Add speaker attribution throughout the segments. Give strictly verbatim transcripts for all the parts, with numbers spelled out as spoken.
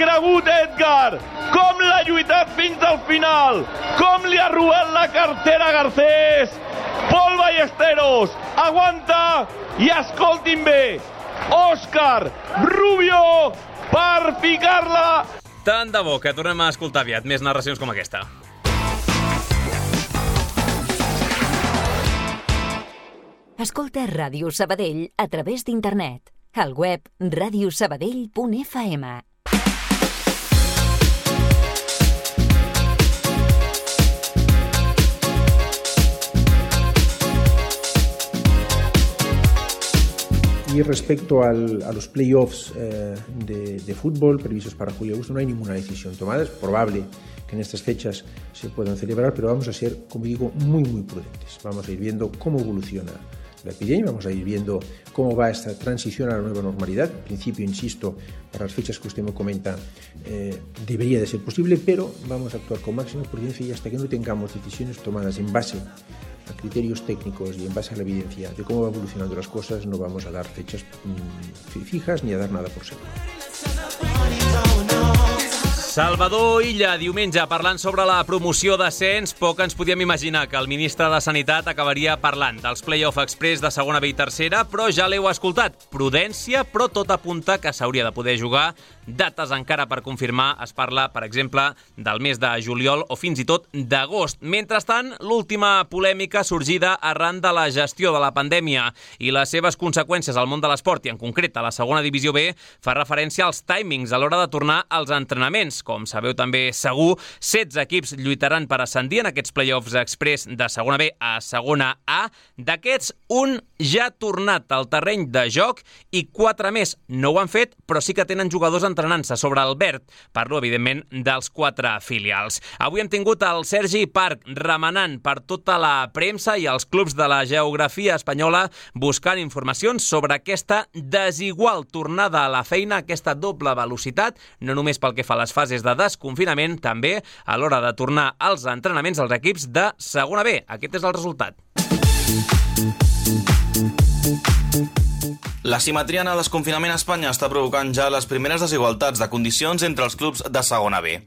Speaker 1: cregut Edgar, com l'ha lluitat fins al final, com li ha robat la cartera a Garcés. Pol Ballesteros aguanta i escoltin bé, Òscar Rubio per ficar-la.
Speaker 2: Tant de bo que tornem a escoltar aviat més narracions com aquesta.
Speaker 3: Escolta Ràdio Sabadell a través d'internet. Al web ràdio sabadell punt f m.
Speaker 4: Y respecto al, a los playoffs eh, de, de fútbol previstos para julio y agosto, no hay ninguna decisión tomada. Es probable que en estas fechas se puedan celebrar, pero vamos a ser, como digo, muy, muy prudentes. Vamos a ir viendo cómo evoluciona la epidemia, vamos a ir viendo cómo va esta transición a la nueva normalidad. En principio, insisto, para las fechas que usted me comenta, eh, debería de ser posible, pero vamos a actuar con máxima prudencia y hasta que no tengamos decisiones tomadas en base a criterios técnicos y en base a la evidencia de cómo va evolucionando las cosas, no vamos a dar fechas mmm, fijas ni a dar nada por seguro.
Speaker 2: Salvador Illa, diumenge, parlant sobre la promoció d'ascens, poc ens podíem imaginar que el ministre de Sanitat acabaria parlant dels play-off express de segona B i tercera, però ja l'heu escoltat. Prudència, però tot apunta que s'hauria de poder jugar. Dates encara per confirmar. Es parla, per exemple, del mes de juliol o fins i tot d'agost. Mentrestant, l'última polèmica sorgida arran de la gestió de la pandèmia i les seves conseqüències al món de l'esport, i en concret a la segona divisió B, fa referència als timings a l'hora de tornar als entrenaments. Com sabeu també segur, setze equips lluitaran per ascendir en aquests play-offs express de segona B a segona A. D'aquests, un ja ha tornat al terreny de joc i quatre més no ho han fet, però sí que tenen jugadors entrenant-se sobre el verd. Parlo, evidentment, dels quatre filials. Avui hem tingut el Sergi Parc remenant per tota la premsa i els clubs de la geografia espanyola buscant informacions sobre aquesta desigual tornada a la feina, aquesta doble velocitat, no només pel que fa a les fases de desconfinament, també a l'hora de tornar als entrenaments als equips de segona B. Aquest és el resultat.
Speaker 5: L'asimetria en el desconfinament a Espanya està provocant ja les primeres desigualtats de condicions entre els clubs de segona B.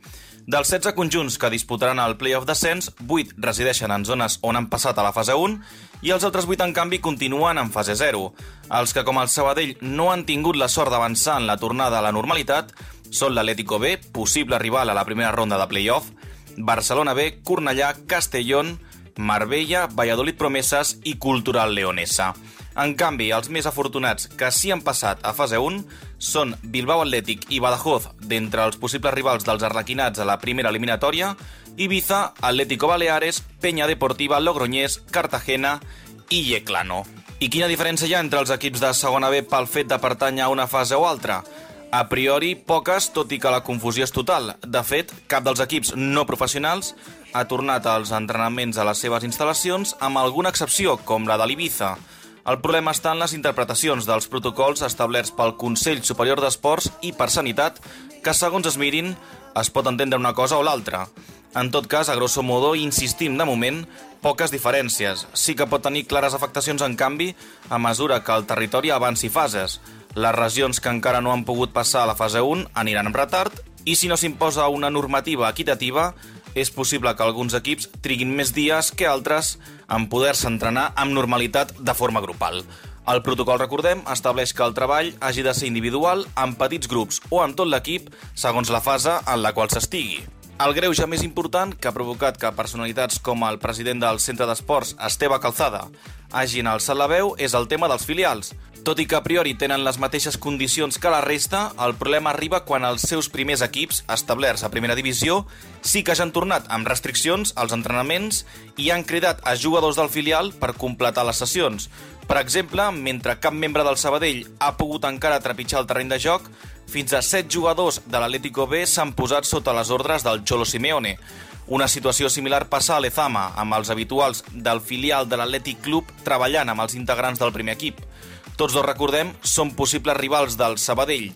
Speaker 5: Dels setze conjunts que disputaran el play-off d'ascens, vuit resideixen en zones on han passat a la fase un i els altres vuit, en canvi, continuen en fase zero. Els que, com el Sabadell, no han tingut la sort d'avançar en la tornada a la normalitat són l'Atlético B, possible rival a la primera ronda de play-off, Barcelona B, Cornellà, Castellón, Marbella, Valladolid Promesas i Cultural Leonesa. En canvi, els més afortunats que sí han passat a fase un són Bilbao Athletic i Badajoz, d'entre els possibles rivals dels arlequinats a la primera eliminatòria, Ibiza, Atlético Baleares, Peña Deportiva, Logroñés, Cartagena i Yeclano. I quina diferència hi ha entre els equips de segona B pel fet de pertànyer a una fase o altra? A priori, poques, tot i que la confusió és total. De fet, cap dels equips no professionals ha tornat als entrenaments a les seves instal·lacions, amb alguna excepció, com la de l'Ibiza. El problema està en les interpretacions dels protocols establerts pel Consell Superior d'Esports i per Sanitat, que, segons es mirin, es pot entendre una cosa o l'altra. En tot cas, a grosso modo, insistim de moment, poques diferències. Sí que pot tenir clares afectacions, en canvi, a mesura que el territori avanci fases. Les regions que encara no han pogut passar a la fase un aniran amb retard i si no s'imposa una normativa equitativa, és possible que alguns equips triguin més dies que altres en poder-se entrenar amb normalitat de forma grupal. El protocol, recordem, estableix que el treball hagi de ser individual, en petits grups o amb tot l'equip, segons la fase en la qual s'estigui. El greuge més important que ha provocat que personalitats com el president del Centre d'Esports, Esteve Calzada, hagin alçat la veu és el tema dels filials. Tot i que a priori tenen les mateixes condicions que la resta, el problema arriba quan els seus primers equips, establerts a primera divisió, sí que ja han tornat amb restriccions als entrenaments i han cridat a jugadors del filial per completar les sessions. Per exemple, mentre cap membre del Sabadell ha pogut encara trepitjar el terreny de joc, fins a set jugadors de l'Atlético B s'han posat sota les ordres del Cholo Simeone. Una situació similar passa a Lezama, amb els habituals del filial de l'Atlètic Club treballant amb els integrants del primer equip. Tots dos, recordem, són possibles rivals del Sabadell.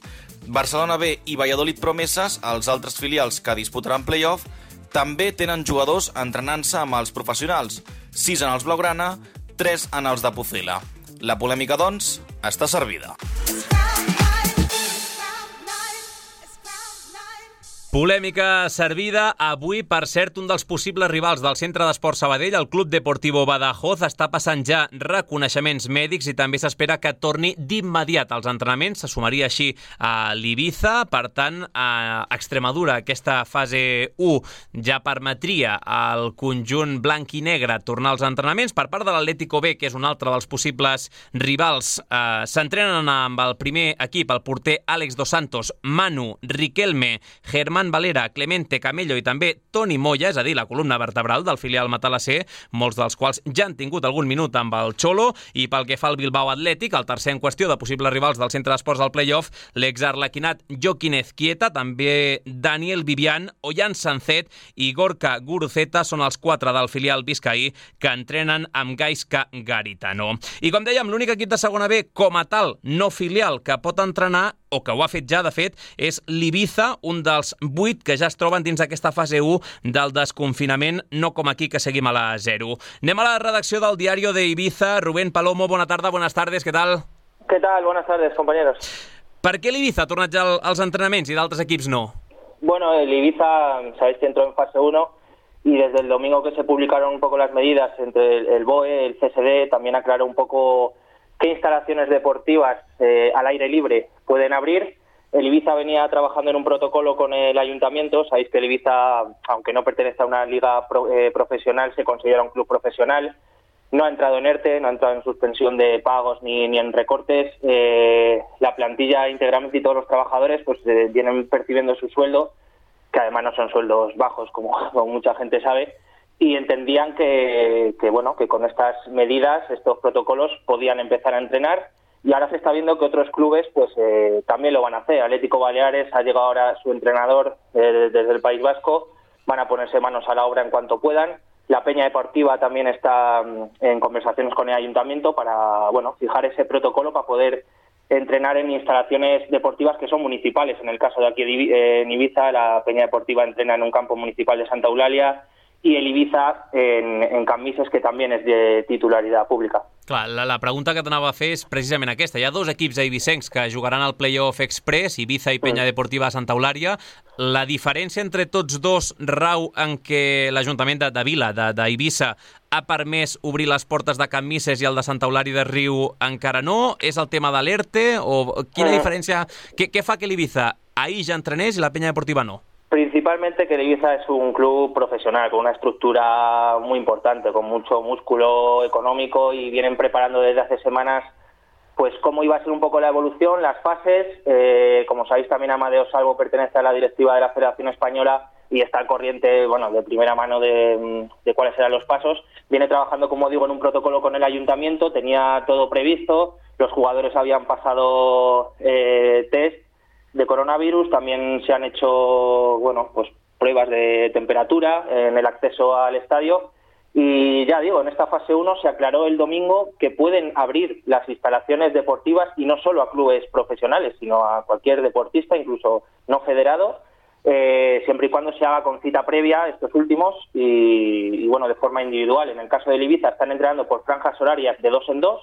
Speaker 5: Barcelona B i Valladolid Promesas, els altres filials que disputaran play-off, també tenen jugadors entrenant-se amb els professionals, sis en els blaugrana, tres en els de Pucela. La polèmica, doncs, està servida.
Speaker 2: Polèmica servida. Avui, per cert, un dels possibles rivals del Centre d'Esport Sabadell, el Club Deportivo Badajoz, està passant ja reconeixements mèdics i també s'espera que torni d'immediat als entrenaments. Se sumaria així a l'Ibiza. Per tant, a Extremadura, aquesta fase u ja permetria al conjunt blanc i negre tornar als entrenaments. Per part de l'Atlético B, que és un altre dels possibles rivals, eh, s'entrenen amb el primer equip, el porter Àlex Dos Santos, Manu, Riquelme, Germán Valera, Clemente Camello i també Toni Moya, és a dir, la columna vertebral del filial matalassé, molts dels quals ja han tingut algun minut amb el Cholo. I pel que fa al Bilbao Athletic, el tercer en qüestió de possibles rivals del Centre d'Esports al Playoff, l'exarlequinat Joaquín Ezquieta, també Daniel Vivian, Ollán Sancet i Gorka Guruceta són els quatre del filial biscaí que entrenen amb Gaizka Garitano. I com dèiem, l'únic equip de segona B com a tal, no filial, que pot entrenar o que ho ha fet ja, de fet, és l'Ibiza, un dels vuit que ja es troben dins d'aquesta fase u del desconfinament, no com aquí, que seguim a la zero. Anem a la redacció del Diario de Ibiza. Rubén Palomo, bona tarda, buenas tardes, ¿qué tal?
Speaker 6: ¿Qué tal? Buenas tardes, compañeros.
Speaker 2: Per què l'Ibiza ha tornat ja als entrenaments i d'altres equips no?
Speaker 6: Bueno, el Ibiza, sabéis que entró en fase uno y desde el domingo que se publicaron un poco las medidas entre el, el B O E, el C S D, también aclaró un poco qué instalaciones deportivas eh, al aire libre pueden abrir. El Ibiza venía trabajando en un protocolo con el ayuntamiento. Sabéis que el Ibiza, aunque no pertenece a una liga pro, eh, profesional, se considera un club profesional. No ha entrado en ERTE, no ha entrado en suspensión de pagos ni, ni en recortes. Eh, la plantilla íntegramente y todos los trabajadores pues eh, vienen percibiendo su sueldo, que además no son sueldos bajos, como, como mucha gente sabe. Y entendían que, que bueno que con estas medidas, estos protocolos, podían empezar a entrenar, y ahora se está viendo que otros clubes pues eh, también lo van a hacer. Atlético Baleares ha llegado ahora su entrenador eh, desde el País Vasco, van a ponerse manos a la obra en cuanto puedan. La Peña Deportiva también está en conversaciones con el ayuntamiento para bueno fijar ese protocolo para poder entrenar en instalaciones deportivas que son municipales. En el caso de aquí en Ibiza, la Peña Deportiva entrena en un campo municipal de Santa Eulàlia, i el Ibiza en, en Cambises, que també és de titularitat pública.
Speaker 2: Clar, la, la pregunta que t'anava a fer és precisament aquesta. Hi ha dos equips eivissencs que jugaran al Playoff Express, Ibiza i Peña Deportiva Santa Eulàlia. La diferència entre tots dos rau en què l'Ajuntament de, de Vila, d'Eivissa, ha permès obrir les portes de Cambises i el de Santa Eulàlia de Riu encara no? És el tema de l'ERTE? O quina diferència? Què, què fa que l'Ibiza ahir ja entrenés i la Peña Deportiva no?
Speaker 6: Principalmente que el Ibiza es un club profesional, con una estructura muy importante, con mucho músculo económico, y vienen preparando desde hace semanas pues cómo iba a ser un poco la evolución, las fases. Eh, como sabéis, también Amadeo Salvo pertenece a la directiva de la Federación Española y está al corriente, bueno, de primera mano de, de cuáles serán los pasos. Viene trabajando, como digo, en un protocolo con el ayuntamiento, tenía todo previsto, los jugadores habían pasado eh, test de coronavirus, también se han hecho bueno pues pruebas de temperatura en el acceso al estadio, y ya digo, en esta fase uno se aclaró el domingo que pueden abrir las instalaciones deportivas, y no solo a clubes profesionales, sino a cualquier deportista, incluso no federado, eh, siempre y cuando se haga con cita previa estos últimos y, y bueno de forma individual. En el caso del Ibiza están entrenando por franjas horarias de dos en dos,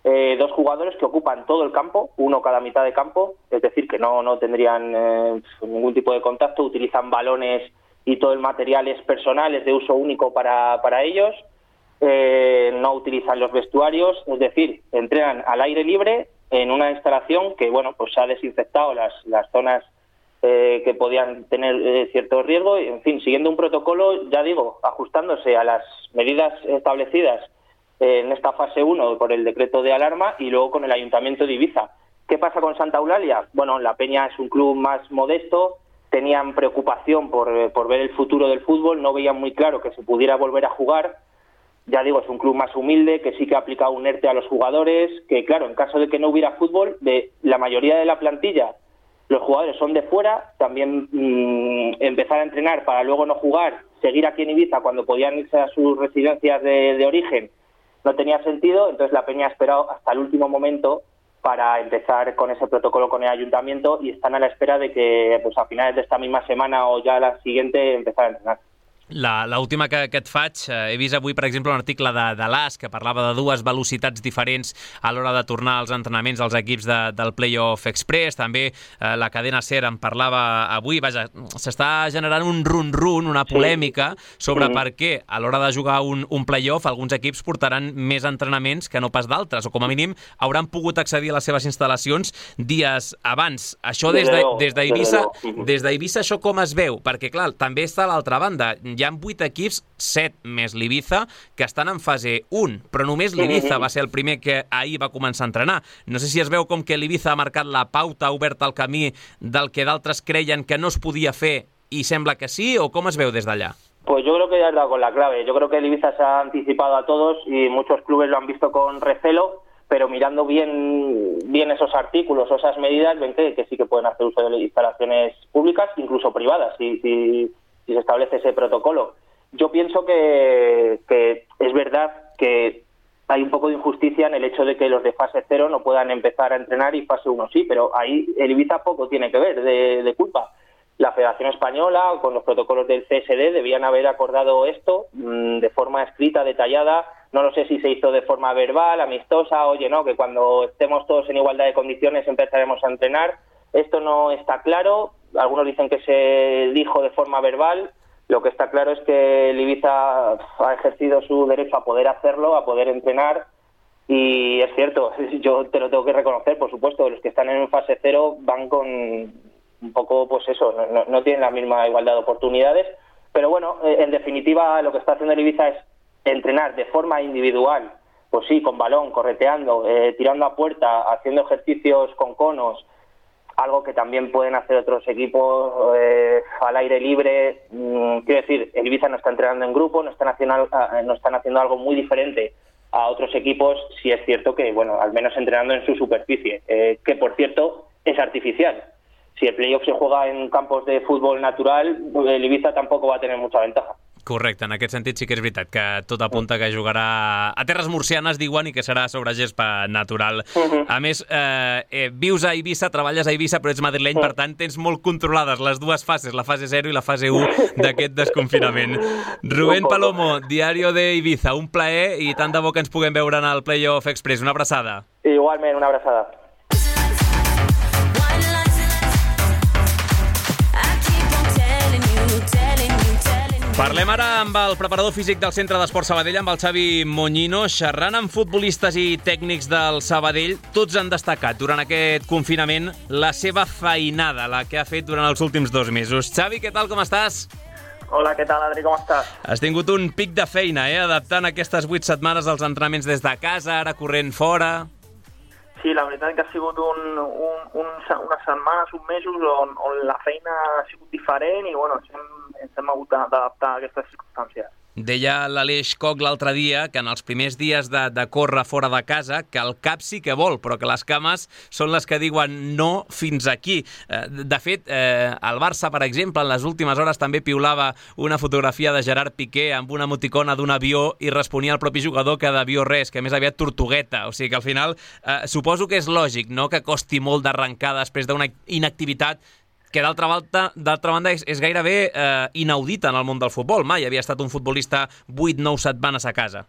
Speaker 6: Eh, dos jugadores que ocupan todo el campo, uno cada mitad de campo, es decir, que no, no tendrían eh, ningún tipo de contacto, utilizan balones y todo el material es personal, es de uso único para, para ellos, eh, no utilizan los vestuarios, es decir, entrenan al aire libre en una instalación que bueno pues ha desinfectado las, las zonas eh, que podían tener eh, cierto riesgo, y, en fin, siguiendo un protocolo, ya digo, ajustándose a las medidas establecidas en esta fase uno por el decreto de alarma, y luego con el Ayuntamiento de Ibiza. ¿Qué pasa con Santa Eulàlia? Bueno, la Peña es un club más modesto, tenían preocupación por, por ver el futuro del fútbol, no veían muy claro que se pudiera volver a jugar. Ya digo, es un club más humilde, que sí que ha aplicado un ERTE a los jugadores, que claro, en caso de que no hubiera fútbol, de la mayoría de la plantilla, los jugadores son de fuera, también mmm, empezar a entrenar para luego no jugar, seguir aquí en Ibiza cuando podían irse a sus residencias de, de origen, no tenía sentido. Entonces la Peña ha esperado hasta el último momento para empezar con ese protocolo con el ayuntamiento, y están a la espera de que pues a finales de esta misma semana o ya la siguiente empezar a entrenar.
Speaker 2: L'última que, que et faig, eh, he vist avui, per exemple, un article de, de l'A S que parlava de dues velocitats diferents a l'hora de tornar als entrenaments dels equips de, del Playoff Express. També eh, la cadena SER en parlava avui. Vaja, s'està generant un run-run, una polèmica sobre sí. per què a l'hora de jugar un, un playoff alguns equips portaran més entrenaments que no pas d'altres, o com a mínim hauran pogut accedir a les seves instal·lacions dies abans. Això des de, des d'Eivissa, des d'Eivissa això com es veu? Perquè, clar, també està a l'altra banda. Hi ha vuit equips, set més l'Ibiza, que estan en fase un, però només l'Ibiza va ser el primer que ahir va començar a entrenar. No sé si es veu com que l'Ibiza ha marcat la pauta, ha obert el camí del que d'altres creien que no es podia fer y sembla que sí, o cómo es veu desde allá?
Speaker 6: Pues yo creo que ya has dado con la clave. Yo creo que el Ibiza se ha anticipado a todos y muchos clubes lo han visto con recelo, pero mirando bien bien esos artículos o esas medidas, ven que, que sí que pueden hacer uso de instalaciones públicas, incluso privadas, si, si, si se establece ese protocolo. Yo pienso que, que es verdad que hay un poco de injusticia en el hecho de que los de fase cero no puedan empezar a entrenar y fase uno sí, pero ahí el Ibiza poco tiene que ver de, de culpa. La Federación Española, con los protocolos del C S D, debían haber acordado esto mmm, de forma escrita, detallada. No lo sé si se hizo de forma verbal, amistosa, oye, no, que cuando estemos todos en igualdad de condiciones empezaremos a entrenar. Esto no está claro. Algunos dicen que se dijo de forma verbal. Lo que está claro es que el Ibiza ha ejercido su derecho a poder hacerlo, a poder entrenar. Y es cierto, yo te lo tengo que reconocer, por supuesto, los que están en fase cero van con un poco, pues eso, no, no tienen la misma igualdad de oportunidades. Pero bueno, en definitiva, lo que está haciendo el Ibiza es entrenar de forma individual, pues sí, con balón, correteando, eh, tirando a puerta, haciendo ejercicios con conos, algo que también pueden hacer otros equipos eh, al aire libre. Mm, quiero decir, el Ibiza no está entrenando en grupo, no están haciendo, no están haciendo algo muy diferente a otros equipos. Sí es cierto que, bueno, al menos entrenando en su superficie, eh, que por cierto es artificial. Si el playoff se juega en campos de fútbol natural, el Ibiza tampoco va a tener mucha ventaja.
Speaker 2: Correcte, en aquest sentit sí que és veritat que tot apunta que jugarà a terres murcianes, diuen, i que serà sobre gespa natural. Uh-huh. A més, eh, eh, vius a Eivissa, treballes a Eivissa, però ets madrileny, uh-huh. per tant tens molt controlades les dues fases, la fase zero i la fase u d'aquest desconfinament. Rubén Palomo, Diario de Ibiza, un plaer i tant de bo que ens puguem veure en el Playoff Express. Una abraçada.
Speaker 6: Igualment, una abraçada.
Speaker 2: Parlem ara amb el preparador físic del Centre d'Esport Sabadell, amb el Xavi Moñino, xerrant amb futbolistes i tècnics del Sabadell. Tots han destacat durant aquest confinament la seva feinada, la que ha fet durant els últims dos mesos. Xavi, què tal, com estàs?
Speaker 7: Hola, què tal, Adri, com estàs?
Speaker 2: Has tingut un pic de feina, eh? Adaptant aquestes vuit setmanes als entrenaments des de casa, ara corrent fora.
Speaker 7: Sí, la veritat que ha sigut un, un, un, unes setmanes, uns mesos on, on la feina ha sigut diferent i bueno, ens hem, ens hem hagut d'adaptar a aquestes circumstàncies.
Speaker 2: Deia l'Aleix Koch l'altre dia que en els primers dies de, de córrer fora de casa que el cap sí que vol, però que les cames són les que diuen no fins aquí. De fet, eh, el Barça, per exemple, en les últimes hores també piulava una fotografia de Gerard Piqué amb una emoticona d'un avió i responia al propi jugador que d'avió res, que més aviat tortugueta. O sigui que al final eh, suposo que és lògic, no?, que costi molt d'arrencar després d'una inactivitat que d'altra banda, d'altra banda és, és gairebé eh, inaudita en el món del futbol. Mai havia estat un futbolista vuit nou setmanes a casa.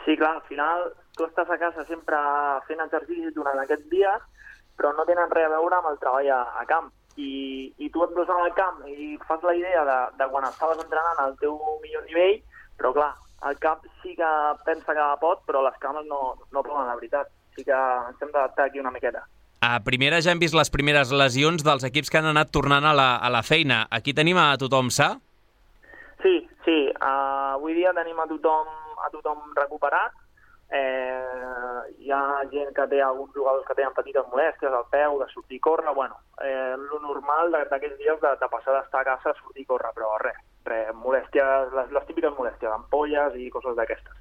Speaker 7: Sí, clar, al final tu estàs a casa sempre fent exercici durant aquests dies, però no tenen res a veure amb el treball a, a camp. I, i tu et veus al camp i fas la idea de, de quan estaves entrenant al teu millor nivell, però clar, el cap sí que pensa que pot, però les cames no, no poden, la veritat. Sí que ens hem d'adaptar aquí una miqueta.
Speaker 2: A primera ja hem vist les primeres lesions dels equips que han anat tornant a la, a la feina. Aquí tenim a tothom sa?
Speaker 7: Sí, sí. Uh, avui dia tenim a tothom, a tothom recuperat. Eh, hi ha gent que té, alguns jugadors que tenen petites molèsties al peu, de sortir i córrer. Bueno, eh, lo normal d'aquests dies de, de passar d'estar a casa a sortir i córrer, però res, res, molèsties, les, les típiques molèsties, ampolles i coses d'aquestes.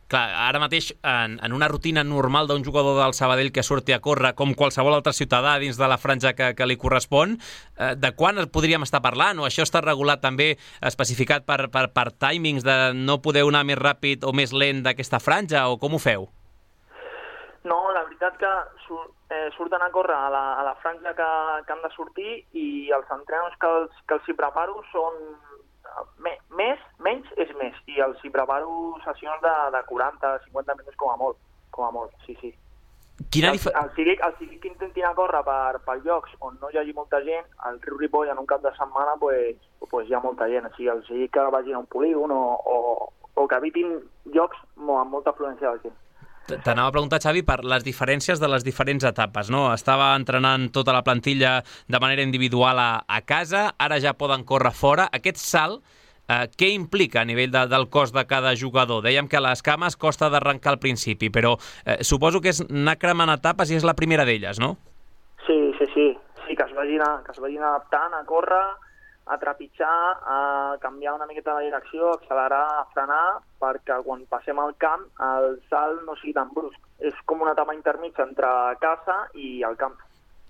Speaker 2: Clar, ara mateix, en, en una rutina normal d'un jugador del Sabadell que surti a córrer, com qualsevol altre ciutadà dins de la franja que, que li correspon, eh, de quan podríem estar parlant? O això està regulat també, especificat per, per, per timings de no poder anar més ràpid o més lent d'aquesta franja, o com ho feu?
Speaker 7: No, la veritat que sur, eh, surten a córrer a la, a la franja que, que han de sortir i els entrenos que els, que els hi preparo són me, més, menys és més, i els hi preparo sessions de, de quaranta, cinquanta minuts com a molt, com a molt, sí, sí.
Speaker 2: Quina
Speaker 7: el, el, cívic, el cívic que intentin a córrer per, per llocs on no hi hagi molta gent, al Riu Ripoll en un cap de setmana pues, pues hi ha molta gent, o sigui, el cívic que vagin a un polígon o, o, o que evitin llocs amb molta afluència de gent.
Speaker 2: T'anava a preguntar, Xavi, per les diferències de les diferents etapes, no? Estava entrenant tota la plantilla de manera individual a, a casa, ara ja poden córrer fora. Aquest salt, eh, què implica a nivell de, del cos de cada jugador? Dèiem que les cames costa d'arrencar al principi, però eh, suposo que és anar cremant etapes i és la primera d'elles, no?
Speaker 7: Sí, sí, sí. Sí, que es vagin, a, que es vagin adaptant a córrer, a trepitjar, a canviar una miqueta de direcció, accelerar, a frenar, perquè quan passem al camp el salt no sigui tan brusc. És com una etapa intermitja entre casa i el camp.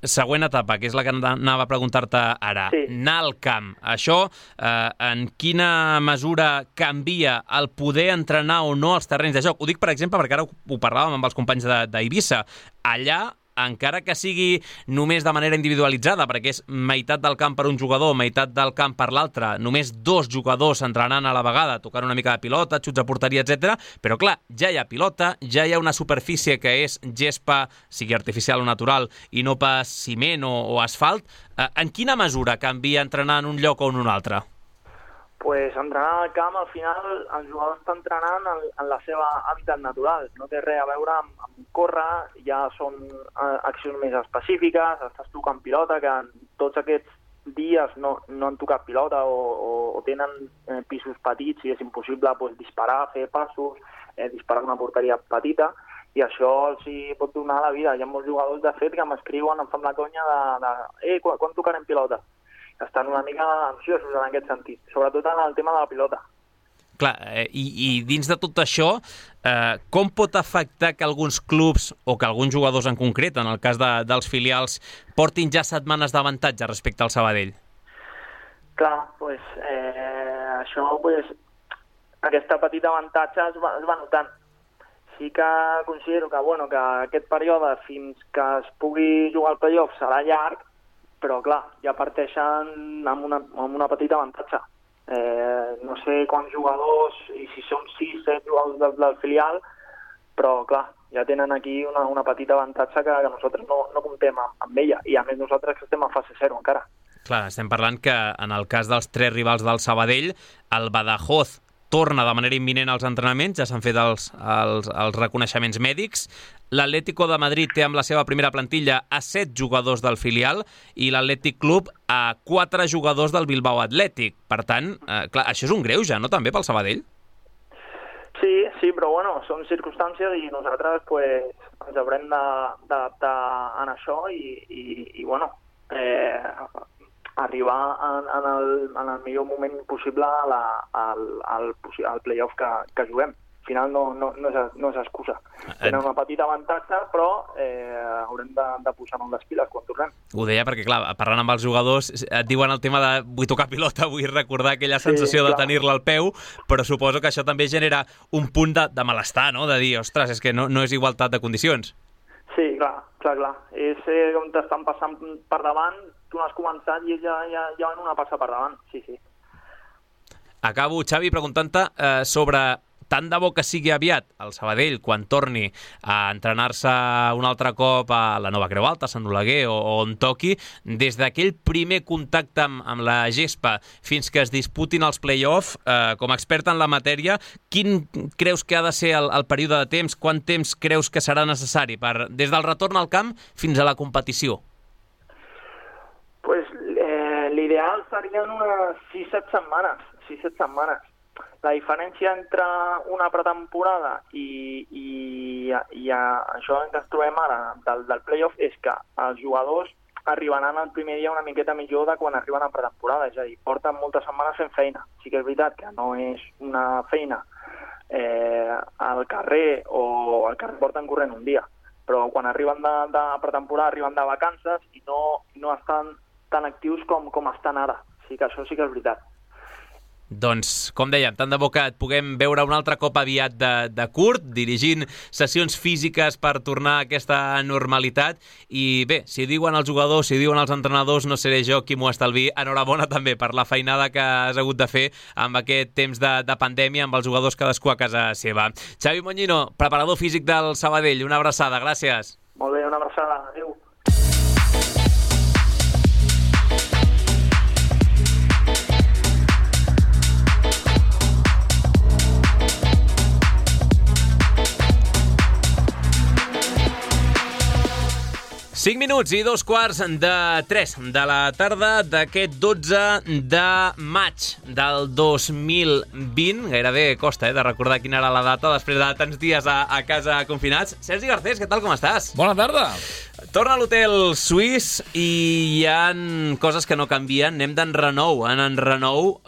Speaker 2: Següent etapa, que és la que anava a preguntar-te ara. Sí. Anar al camp. Això, eh, en quina mesura canvia el poder entrenar o no els terrenys de joc? Ho dic, per exemple, perquè ara ho parlàvem amb els companys d'Eivissa. Allà, encara que sigui només de manera individualitzada, perquè és meitat del camp per un jugador, meitat del camp per l'altre, només dos jugadors entrenant a la vegada, tocant una mica de pilota, xuts a porteria, etcètera. Però clar, ja hi ha pilota, ja hi ha una superfície que és gespa, sigui artificial o natural, i no pas ciment o, o asfalt. Eh, en quina mesura canvia entrenar en un lloc o en un altre?
Speaker 7: Pues entrenar al camp, al final, el jugador està entrenant en, en la seva hàbitat natural. No té res a veure amb, amb córrer, ja són eh, accions més específiques, estàs tocant pilota, que en tots aquests dies no, no han tocat pilota o, o, o tenen eh, pisos petits i és impossible pues, disparar, fer passos, eh, disparar una porteria petita, i això els hi pot donar la vida. Hi ha molts jugadors, de fet, que m'escriuen, em fan la conya de, de eh, quan, quan tocarem pilota? Estan una mica ansiosos en aquest sentit, sobretot en el tema de la pilota.
Speaker 2: Clar, eh, i, i dins de tot això, eh, com pot afectar que alguns clubs, o que alguns jugadors en concret, en el cas de, dels filials, portin ja setmanes d'avantatge respecte al Sabadell?
Speaker 7: Clar, pues, eh, això, pues, aquesta petita avantatge es va, es va notant. Sí que considero que, bueno, que aquest període fins que es pugui jugar al playoff serà llarg, però clar, ja parteixen amb una, amb una petita avantatge. Eh, no sé quants jugadors, i si són sis, set jugadors del, del filial, però clar, ja tenen aquí una, una petita avantatge que, que nosaltres no, no comptem amb, amb ella, i a més nosaltres que estem a fase zero encara.
Speaker 2: Clar, estem parlant que en el cas dels tres rivals del Sabadell, el Badajoz torna de manera imminent als entrenaments, ja s'han fet els, els, els reconeixements mèdics. L'Atlético de Madrid té amb la seva primera plantilla a set jugadors del filial i l'Atlètic Club a quatre jugadors del Bilbao Atlètic. Per tant, eh, clar, això és un greuge, no, també, pel Sabadell?
Speaker 7: Sí, sí, però bueno, són circumstàncies i nosaltres pues, ens haurem d'adaptar en això i, i, i bueno, eh, arribar en, en, el, en el millor moment possible a la, al, al, al playoff que, que juguem. Al final no, no, no, és, no és excusa. Tenen una petita avantatge, però eh, haurem de, de posar-nos les piles quan tornem.
Speaker 2: Ho deia perquè, clar, parlant amb els jugadors, et diuen el tema de vull tocar pilota, vull recordar aquella sensació sí, de tenir-la al peu, però suposo que això també genera un punt de, de malestar, no? De dir, ostres, és que no, no és igualtat de condicions.
Speaker 7: Sí, clar, clar, clar. És eh, on t'estan passant per davant, tu no has començat i ja, ja, ja van una passa per davant, sí, sí.
Speaker 2: Acabo, Xavi, preguntant-te eh, sobre tant de bo que sigui aviat el Sabadell quan torni a entrenar-se un altre cop a la Nova Creu Alta, a Sant Oleguer o, o on toqui, des d'aquell primer contacte amb, amb la gespa fins que es disputin els play-off, eh, com a expert en la matèria, quin creus que ha de ser el, el període de temps? Quant temps creus que serà necessari per, des del retorn al camp fins a la competició?
Speaker 7: Pues eh, l'ideal serien unes sis set setmanes, sis set setmanes. La diferència entre una pretemporada i, i, i això que ens trobem ara del, del playoff és que els jugadors arribaran el primer dia una miqueta millor de quan arriben a pretemporada, és a dir, porten moltes setmanes fent feina. Sí que és veritat que no és una feina eh, al carrer o al carrer porten corrent un dia, però quan arriben de, de pretemporada arriben de vacances i no, no estan tan actius com, com estan ara. Sí que això sí que és veritat.
Speaker 2: Doncs, com dèiem, tant de bo que et puguem veure un altre cop aviat de, de curt, dirigint sessions físiques per tornar a aquesta normalitat. I bé, si diuen els jugadors, si diuen els entrenadors, no seré jo qui m'ho estalvi. Enhorabona també per la feinada que has hagut de fer amb aquest temps de, de pandèmia, amb els jugadors cadascú a casa seva. Xavi Moñino, preparador físic del Sabadell, una abraçada, gràcies.
Speaker 7: Molt bé, una abraçada, adéu.
Speaker 2: cinc minuts i dos quarts de tres de la tarda d'aquest dotze de maig del dos mil vint. Gairebé costa eh, de recordar quina era la data després de tants dies a, a casa confinats. Sergi Garcés, què tal, com estàs?
Speaker 8: Bona tarda.
Speaker 2: Torna a l'hotel suís i hi ha coses que no canvien. Anem d'enrenou en enrenou.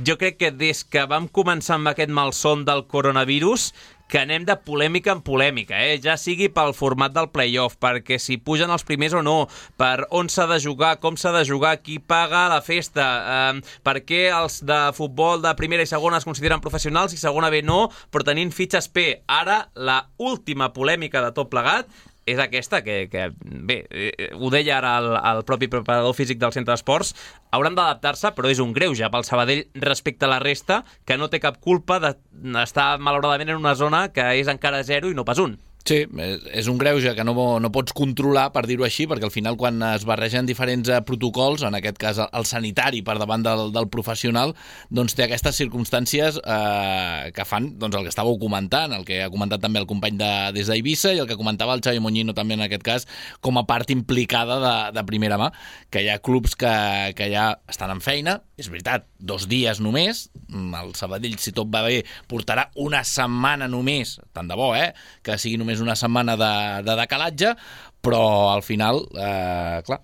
Speaker 2: Jo crec que des que vam començar amb aquest malson del coronavirus que anem de polèmica en polèmica, eh? Ja sigui pel format del play-off, perquè si pugen els primers o no, per on s'ha de jugar, com s'ha de jugar, qui paga la festa, eh, per què els de futbol de primera i segona es consideren professionals i segona B no, però tenint fitxes P. Ara, la última polèmica de tot plegat és aquesta, que, que bé, eh, ho deia ara el, el propi preparador físic del centre d'esports, hauran d'adaptar-se, però és un greuge pel Sabadell respecte a la resta, que no té cap culpa d'estar malauradament en una zona que és encara zero i no pas un.
Speaker 8: Sí, és un greuge que no, no pots controlar, per dir-ho així, perquè al final quan es barregen diferents protocols, en aquest cas el sanitari per davant del, del professional, doncs té aquestes circumstàncies eh, que fan doncs, el que estàveu comentant, el que ha comentat també el company de, des d'Eivissa i el que comentava el Xavi Moñino també en aquest cas, com a part implicada de, de primera mà, que hi ha clubs que, que ja estan en feina, és veritat, dos dies només, el Sabadell, si tot va bé, portarà una setmana només, tant de bo, eh, que sigui només una setmana de, de decalatge, però al final, eh, clar,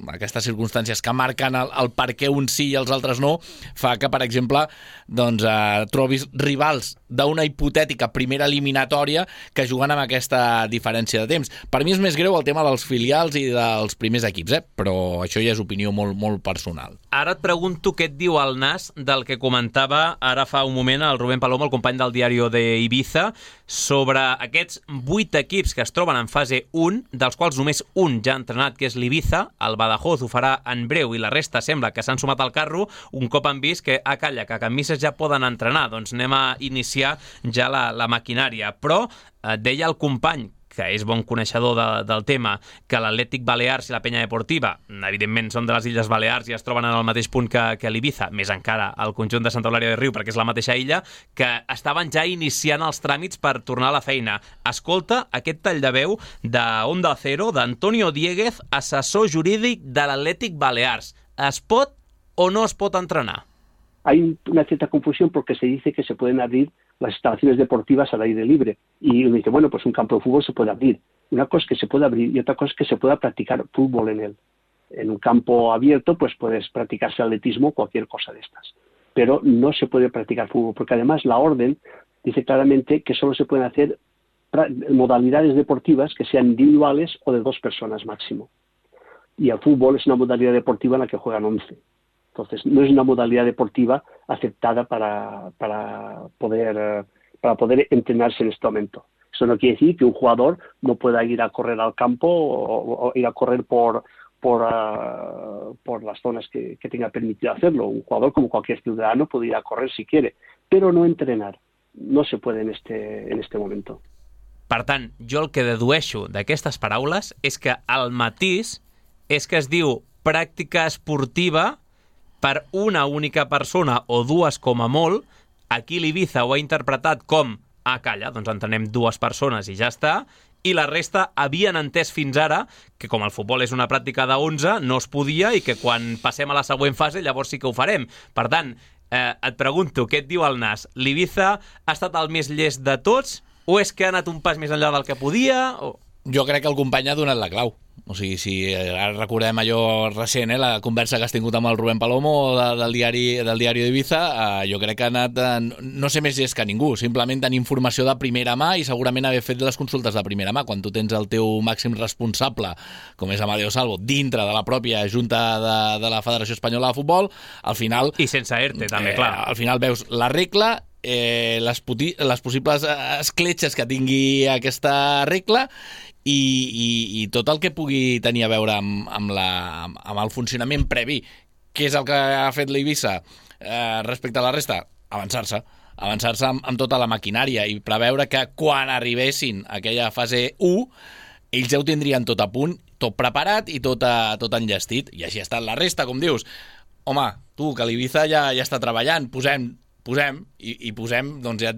Speaker 8: aquestes circumstàncies que marquen el, el per què uns sí i els altres no, fa que, per exemple, doncs, eh, trobis rivals d'una hipotètica primera eliminatòria que juguen amb aquesta diferència de temps. Per mi és més greu el tema dels filials i dels primers equips, eh? Però això ja és opinió molt, molt personal.
Speaker 2: Ara et pregunto què et diu el nas del que comentava ara fa un moment el Rubén Palomo, el company del diari d'Eivissa, sobre aquests vuit equips que es troben en fase un, dels quals només un ja ha entrenat, que és l'Ibiza. El Badajoz ho farà en breu i la resta sembla que s'han sumat al carro un cop han vist que a calla, que a Can Misses ja poden entrenar. Doncs anem a iniciar ja la, la maquinària. Però eh, deia el company, que és bon coneixedor de, del tema, que l'Atlètic Balears i la Penya Deportiva, evidentment són de les Illes Balears i es troben en el mateix punt que, que l'Ibiza, més encara el conjunt de Santa Eulàlia de Riu, perquè és la mateixa illa, que estaven ja iniciant els tràmits per tornar a la feina. Escolta aquest tall de veu de Onda Cero d'Antonio Dieguez, assessor jurídic de l'Atlètic Balears. Es pot o no es pot entrenar?
Speaker 9: Hay una cierta confusión porque se dice que se pueden abrir las instalaciones deportivas al aire libre. Y uno dice, bueno, pues un campo de fútbol se puede abrir. Una cosa es que se puede abrir y otra cosa es que se pueda practicar fútbol en él. En un campo abierto, pues puedes practicarse atletismo o cualquier cosa de estas. Pero no se puede practicar fútbol, porque además la orden dice claramente que solo se pueden hacer modalidades deportivas que sean individuales o de dos personas máximo. Y el fútbol es una modalidad deportiva en la que juegan once. Entonces, no es una modalidad deportiva aceptada para, para, poder, para poder entrenarse en este momento. Eso no quiere decir que un jugador no pueda ir a correr al campo o, o ir a correr por, por, uh, por las zonas que, que tenga permitido hacerlo. Un jugador, como cualquier ciudadano, puede ir a correr si quiere, pero no entrenar. No se puede en este, en este momento.
Speaker 2: Per tant, jo el que dedueixo d'aquestes paraules és que el matís és que es diu pràctica esportiva per una única persona o dues com a molt. Aquí l'Ibiza ho ha interpretat com ah, calla, doncs entenem dues persones i ja està, i la resta havien entès fins ara que com el futbol és una pràctica d'onze no es podia i que quan passem a la següent fase llavors sí que ho farem. Per tant, eh, et pregunto, què et diu el nas? L'Ibiza ha estat el més llest de tots o és que ha anat un pas més enllà del que podia? O...
Speaker 8: Jo crec que el company ha donat la clau. O sigui, si ara recordem allò recent, eh, la conversa que has tingut amb el Rubén Palomo de, del diari del diari d'Ibiza, eh, jo crec que ha anat, eh, no sé més és que ningú, simplement tenir informació de primera mà i segurament haver fet les consultes de primera mà. Quan tu tens el teu màxim responsable, com és Amadeo Salvo, dintre de la pròpia Junta de, de la Federació Espanyola de Futbol, al final...
Speaker 2: I sense ERTE, també,
Speaker 8: eh,
Speaker 2: clar.
Speaker 8: Al final veus la regla, eh, les, puti, les possibles escletxes que tingui aquesta regla i, i, i tot el que pugui tenir a veure amb, amb, la, amb el funcionament previ. Què és el que ha fet l'Eivissa eh, respecte a la resta? Avançar-se. Avançar-se amb, amb tota la maquinària i preveure que quan arribessin a aquella fase u, ells ja ho tindrien tot a punt, tot preparat i tot, a, tot enllestit. I així ha estat la resta, com dius. Home, tu, que l'Ibiza ja, ja està treballant, posem... posem, i, i posem, doncs ja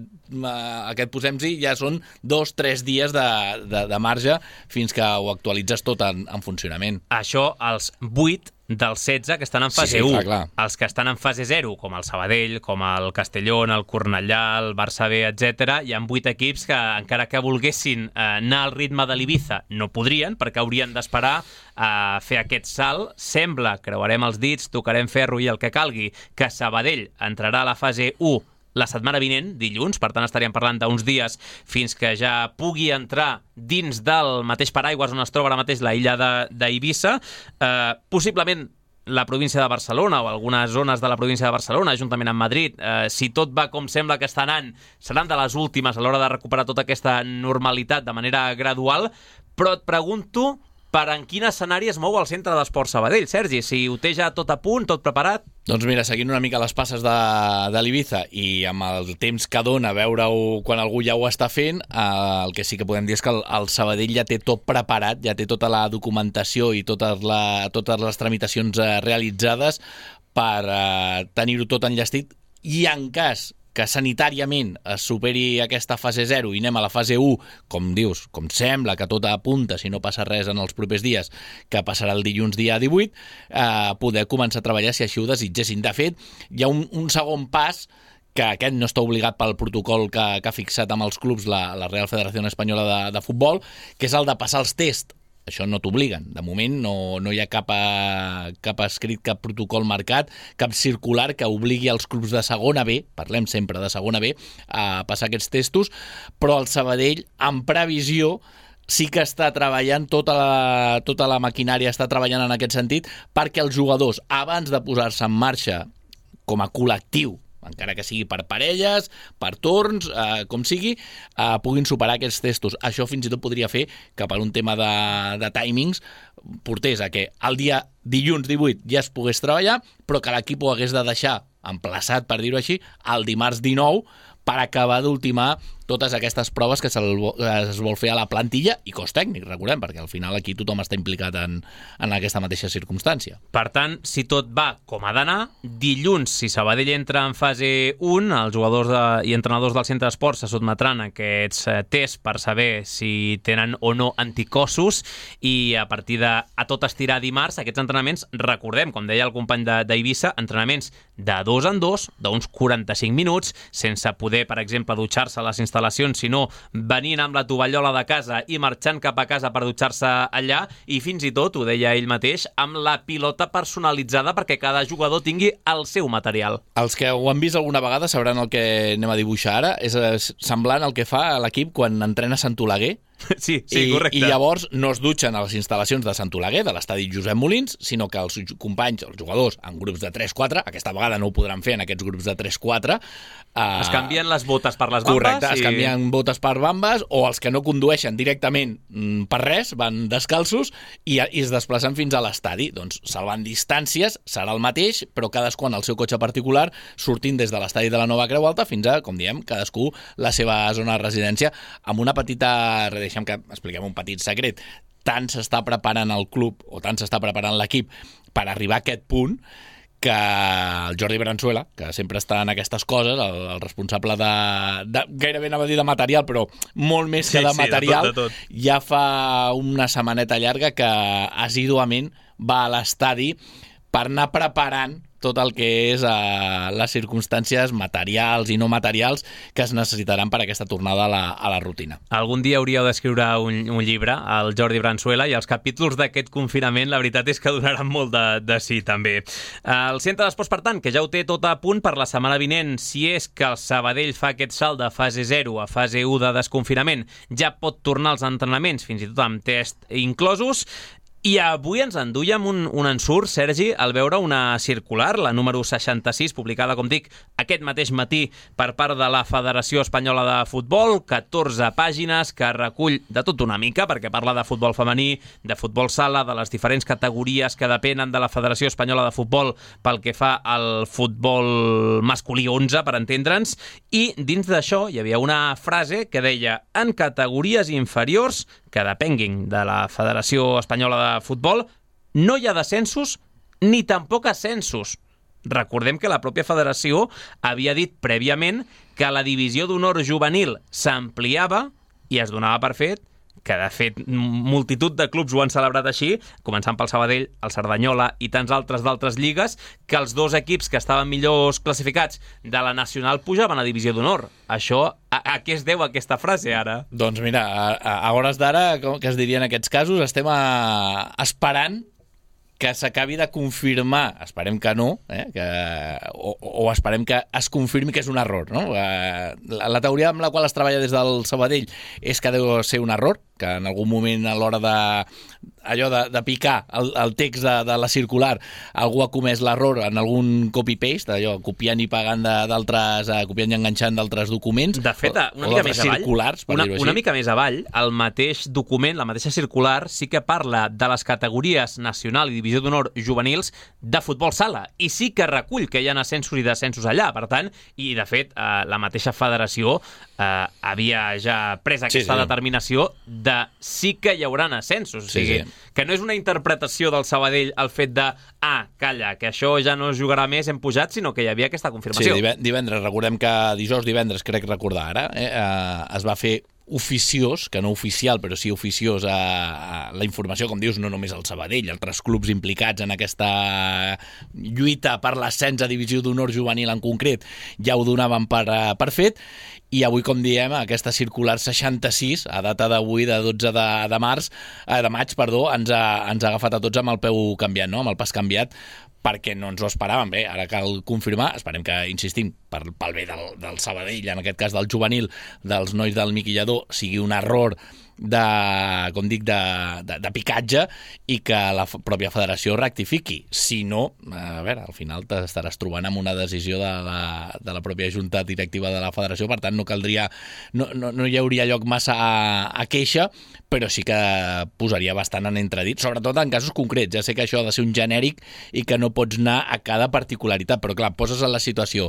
Speaker 8: aquest posem-s'hi ja són dos, tres dies de, de, de marge fins que ho actualitzes tot en, en funcionament.
Speaker 2: Això, els vuit dels setze que estan en fase
Speaker 8: sí, sí,
Speaker 2: u.
Speaker 8: clar, clar.
Speaker 2: Els que estan en fase zero, com el Sabadell, com el Castellón, el Cornellà, el Barça B, etcètera, hi ha vuit equips que, encara que volguessin eh, anar al ritme de l'Ibiza, no podrien, perquè haurien d'esperar a eh, fer aquest salt. Sembla, creuarem els dits, tocarem ferro i el que calgui, que Sabadell entrarà a la fase u la setmana vinent, dilluns, per tant estaríem parlant d'uns dies fins que ja pugui entrar dins del mateix paraigües on es troba ara mateix la illa d'Eivissa. Eh, possiblement la província de Barcelona o algunes zones de la província de Barcelona, juntament amb Madrid, eh, si tot va com sembla que està anant, seran de les últimes a l'hora de recuperar tota aquesta normalitat de manera gradual, però et pregunto per en quin escenari es mou el Centre d'Esports Sabadell, Sergi, si ho té ja tot a punt, tot preparat?
Speaker 8: Doncs mira, seguint una mica les passes de, de l'Ibiza i amb el temps que dona veure-ho quan algú ja ho està fent, eh, el que sí que podem dir és que el, el Sabadell ja té tot preparat, ja té tota la documentació i totes, la, totes les tramitacions eh, realitzades per eh, tenir-ho tot enllestit, i en cas que sanitàriament es superi aquesta fase zero i anem a la fase u, com dius, com sembla que tot apunta, si no passa res en els propers dies, que passarà el dilluns dia divuit, eh, poder començar a treballar si així ho desitgessin. De fet, hi ha un, un segon pas que aquest no està obligat pel protocol que, que ha fixat amb els clubs la, la Real Federació Espanyola de, de Futbol, que és el de passar els tests. Això no t'obliguen. De moment no, no hi ha cap, a, cap escrit, cap protocol marcat, cap circular que obligui els clubs de segona B, parlem sempre de segona B, a passar aquests testos, però el Sabadell, en previsió, sí que està treballant, tota la, tota la maquinària està treballant en aquest sentit, perquè els jugadors, abans de posar-se en marxa com a col·lectiu, encara que sigui per parelles, per torns, eh, com sigui, eh, puguin superar aquests testos. Això fins i tot podria fer que per un tema de, de timings portés a que el dia dilluns divuit ja es pogués treballar, però que l'equip ho hagués de deixar emplaçat, per dir-ho així, el dimarts dinou, per acabar d'ultimar totes aquestes proves que es vol fer a la plantilla i cos tècnic, recordem, perquè al final aquí tothom està implicat en, en aquesta mateixa circumstància.
Speaker 2: Per tant, si tot va com ha d'anar, dilluns, si Sabadell entra en fase u, els jugadors de, i entrenadors del centre d'esports se sotmetran a aquests tests per saber si tenen o no anticossos, i a partir de a tot estirar dimarts, aquests entrenaments, recordem, com deia el company d'Eivissa, entrenaments de dos en dos, d'uns quaranta-cinc minuts, sense poder, per exemple, dutxar-se a les instal·lacions, sinó venint amb la tovallola de casa i marxant cap a casa per dutxar-se allà, i fins i tot, ho deia ell mateix, amb la pilota personalitzada perquè cada jugador tingui el seu material.
Speaker 8: Els que ho han vist alguna vegada sabran el que anem a dibuixar ara, és semblant al que fa l'equip quan entrena Sant Oleguer.
Speaker 2: Sí, sí,
Speaker 8: I,
Speaker 2: correcte.
Speaker 8: I llavors no es dutxen a les instal·lacions de Sant Oleguer, de l'estadi Josep Molins, sinó que els companys, els jugadors, en grups de tres quatre, aquesta vegada no ho podran fer en aquests grups de tres quatre, eh,
Speaker 2: es canvien les botes per les bambes.
Speaker 8: Correcte,
Speaker 2: i...
Speaker 8: es canvien botes per bambes, o els que no condueixen directament per res, van descalços i, i es desplacen fins a l'estadi. Doncs salvant distàncies serà el mateix, però cadascú en el seu cotxe particular, sortint des de l'estadi de la Nova Creu Alta fins a, com diem, cadascú la seva zona de residència, amb una petita... Deixem que expliquem un petit secret. Tant s'està preparant el club o tant s'està preparant l'equip per arribar a aquest punt que el Jordi Branzuela, que sempre està en aquestes coses, el, el responsable de, de... gairebé anava a dir de material, però molt més que
Speaker 2: sí,
Speaker 8: de
Speaker 2: sí,
Speaker 8: material,
Speaker 2: de tot, de tot.
Speaker 8: Ja fa una setmaneta llarga que assíduament va a l'estadi per anar preparant tot el que és uh, les circumstàncies materials i no materials que es necessitaran per a aquesta tornada a la, a la rutina.
Speaker 2: Algun dia hauríeu d'escriure un, un llibre, el Jordi Bransuela, i els capítols d'aquest confinament, la veritat és que donaran molt de, de sí, també. El Centre d'Esports, per tant, que ja ho té tot a punt per la setmana vinent, si és que el Sabadell fa aquest salt de fase zero a fase u de desconfinament, ja pot tornar als entrenaments, fins i tot amb test inclosos. I avui ens enduiem un, un ensurt, Sergi, al veure una circular, la número seixanta-sis, publicada, com dic, aquest mateix matí per part de la Federació Espanyola de Futbol, catorze pàgines que recull de tot una mica, perquè parla de futbol femení, de futbol sala, de les diferents categories que depenen de la Federació Espanyola de Futbol pel que fa al futbol masculí onze, per entendre'ns, i dins d'això hi havia una frase que deia: en categories inferiors que depenguin de la Federació Espanyola de Futbol, no hi ha descensos ni tampoc ascensos. Recordem que la pròpia federació havia dit prèviament que la divisió d'honor juvenil s'ampliava i es donava per fet, que de fet multitud de clubs ho han celebrat així, començant pel Sabadell, el Cerdanyola i tants altres d'altres lligues, que els dos equips que estaven millors classificats de la nacional pujaven a divisió d'honor. Això, a, a què es deu aquesta frase ara?
Speaker 8: Doncs mira, a, a hores d'ara, com que es diria en aquests casos, estem a, esperant que s'acabi de confirmar, esperem que no, eh, que, o, o esperem que es confirmi que és un error, no? Eh, la, la teoria amb la qual es treballa des del Sabadell és que deu ser un error, que en algun moment a l'hora de allò de, de picar el, el text de, de la circular algú ha comès l'error en algun copy-paste, allò, copiant i pagant d'altres, uh, copiant i enganxant d'altres documents.
Speaker 2: De fet, una mica més avall, una, una mica més avall, el mateix document, la mateixa circular, sí que parla de les categories nacional i divisió d'honor juvenils de futbol sala, i sí que recull que hi ha ascensos i descensos allà, per tant, i de fet, uh, la mateixa federació uh, havia ja pres aquesta sí, sí. determinació de sí que hi haurà ascensos. O sigui, sí, sí. que no és una interpretació del Sabadell el fet de, ah, calla, que això ja no es jugarà més, hem pujat, sinó que hi havia aquesta confirmació.
Speaker 8: Sí, divendres, recordem que dijous, divendres, crec recordar ara, eh, eh, es va fer oficiós, que no oficial, però sí oficiós a, a la informació, com dius, no només el Sabadell, altres clubs implicats en aquesta lluita per l'ascens a divisió d'honor juvenil en concret, ja ho donaven per, per fet, i avui, com diem, aquesta circular seixanta-sis, a data d'avui, de dotze de, de març, eh, de maig, perdó, ens ha, ens ha agafat a tots amb el peu canviat, no? amb el pas canviat, perquè no ens ho esperàvem. Bé, ara cal confirmar, esperem que, insistim, per, pel bé del, del Sabadell, en aquest cas del juvenil, dels nois del Miqui Lladó, sigui un error de, com dic, de, de, de picatge, i que la pròpia federació rectifiqui. Si no, a veure, al final t'estaràs trobant amb una decisió de la, de la pròpia junta directiva de la federació, per tant no caldria, no, no, no hi hauria lloc massa a, a queixa, però sí que posaria bastant en entredit, sobretot en casos concrets. Ja sé que això ha de ser un genèric i que no pots anar a cada particularitat, però clar, poses en la situació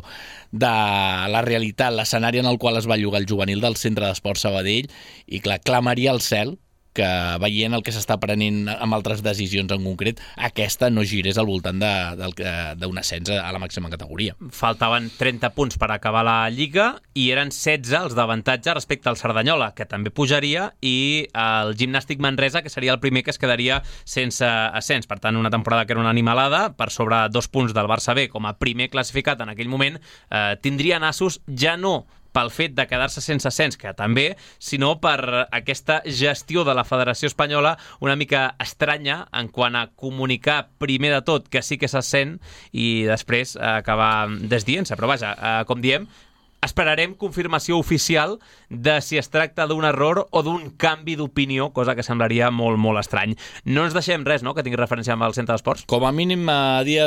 Speaker 8: de la realitat, l'escenari en el qual es va llogar el juvenil del Centre d'Esports Sabadell, i clar, clamaria al cel que, veient el que s'està prenent amb altres decisions en concret, aquesta no girés al voltant d'un ascens a la màxima categoria.
Speaker 2: Faltaven trenta punts per acabar la Lliga i eren setze els d'avantatge respecte al Cerdanyola, que també pujaria, i el Gimnàstic Manresa, que seria el primer que es quedaria sense ascens. Per tant, una temporada que era una animalada, per sobre dos punts del Barça B com a primer classificat en aquell moment, eh, tindria nassos ja no pel fet de quedar-se sense ascens, que també, sinó per aquesta gestió de la Federació Espanyola una mica estranya en quant a comunicar primer de tot que sí que s'ascen i després acabar desdient-se. Però vaja, com diem, esperarem confirmació oficial de si es tracta d'un error o d'un canvi d'opinió, cosa que semblaria molt, molt estrany. No ens deixem res, no?, que tingui referència amb el Centre d'Esports?
Speaker 8: Com a mínim, a dia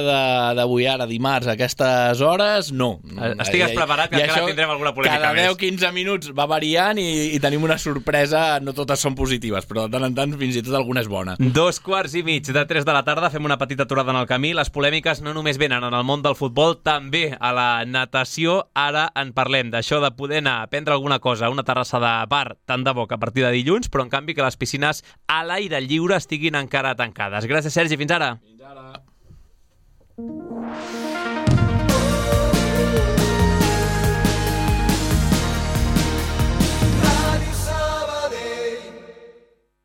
Speaker 8: d'avui, ara, dimarts, a aquestes hores, no.
Speaker 2: Estigues preparat, que encara tindrem alguna polèmica més.
Speaker 8: Cada deu a quinze minuts va variant i, i tenim una sorpresa, no totes són positives, però de tant en tant fins i tot alguna és bona.
Speaker 2: Dos quarts i mig de tres de la tarda, fem una petita aturada en el camí. Les polèmiques no només venen en el món del futbol, també a la natació. Ara en parlem d'això de poder anar a prendre alguna cosa a una terrassa de bar, tant de bo que a partir de dilluns, però en canvi que les piscines a l'aire lliure estiguin encara tancades. Gràcies, Sergi. Fins ara.
Speaker 8: Fins ara.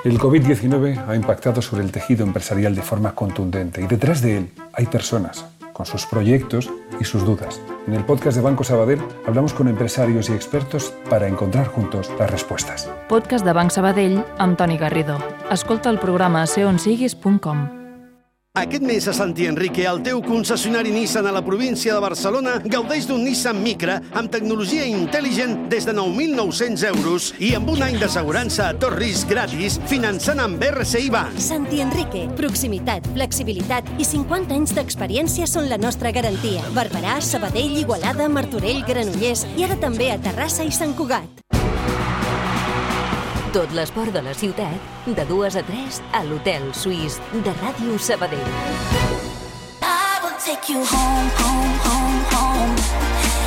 Speaker 10: El COVID diecinueve ha impactado sobre el tejido empresarial de forma contundente y detrás de él hay personas, con sus proyectos y sus dudas. En el podcast de Banco Sabadell hablamos con empresarios y expertos para encontrar juntos las respuestas.
Speaker 11: Podcast de Banc Sabadell amb Toni Garrido. Escolta el programa a ser on siguis punt com.
Speaker 12: Aquest mes a Santi Enrique, el teu concessionari Nissan a la província de Barcelona, gaudeix d'un Nissan Micra amb tecnologia intel·ligent des de nou mil nou-cents euros i amb un any d'assegurança a tot risc gratis, finançant amb R C I Bank.
Speaker 13: Santi Enrique, proximitat, flexibilitat i cinquanta anys d'experiència són la nostra garantia. Barberà, Sabadell, Igualada, Martorell, Granollers i ara també a Terrassa i Sant Cugat.
Speaker 3: Tot l'esport de la ciutat, de dues a tres, a l'Hotel Suís de Ràdio Sabadell.
Speaker 14: I will take you home, home, home, home.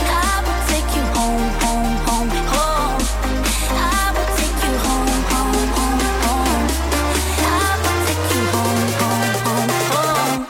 Speaker 14: I will take you home, home, home, home. I will take you home, home, home, home. I will take you home, home, home, home.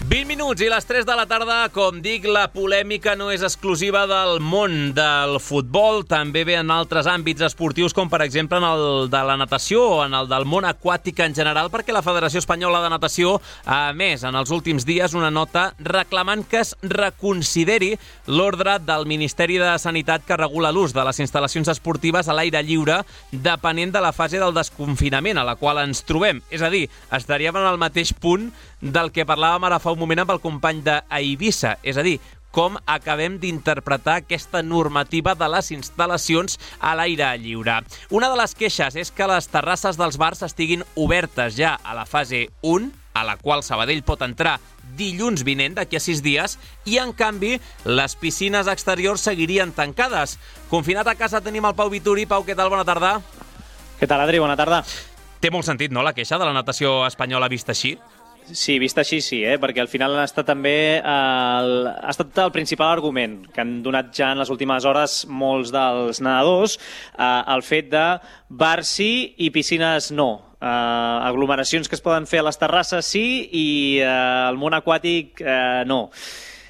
Speaker 2: vint minuts i les tres de la tarda. Com dic, la polèmica no és exclusiva del món del futbol, també ve en altres àmbits esportius, com per exemple en el de la natació o en el del món aquàtic en general, perquè la Federació Espanyola de Natació ha emès en els últims dies una nota reclamant que es reconsideri l'ordre del Ministeri de Sanitat que regula l'ús de les instal·lacions esportives a l'aire lliure depenent de la fase del desconfinament a la qual ens trobem. És a dir, estaríem en el mateix punt del que parlàvem ara fa un moment amb el company d'Eivissa, és a dir, com acabem d'interpretar aquesta normativa de les instal·lacions a l'aire lliure. Una de les queixes és que les terrasses dels bars estiguin obertes ja a la fase un, a la qual Sabadell pot entrar dilluns vinent, d'aquí a sis dies, i en canvi les piscines exteriors seguirien tancades. Confinat a casa tenim el Pau Vituri. Pau, què tal? Bona tarda.
Speaker 15: Què tal, Adri? Bona tarda.
Speaker 2: Té molt sentit, no?, la queixa de la natació espanyola vista així?
Speaker 15: Sí, vist així sí, eh? Perquè al final ha estat també el, ha estat el principal argument que han donat ja en les últimes hores molts dels nedadors, eh, el fet de bars sí i piscines no. Uh, aglomeracions que es poden fer a les terrasses sí i uh, el món aquàtic uh, no.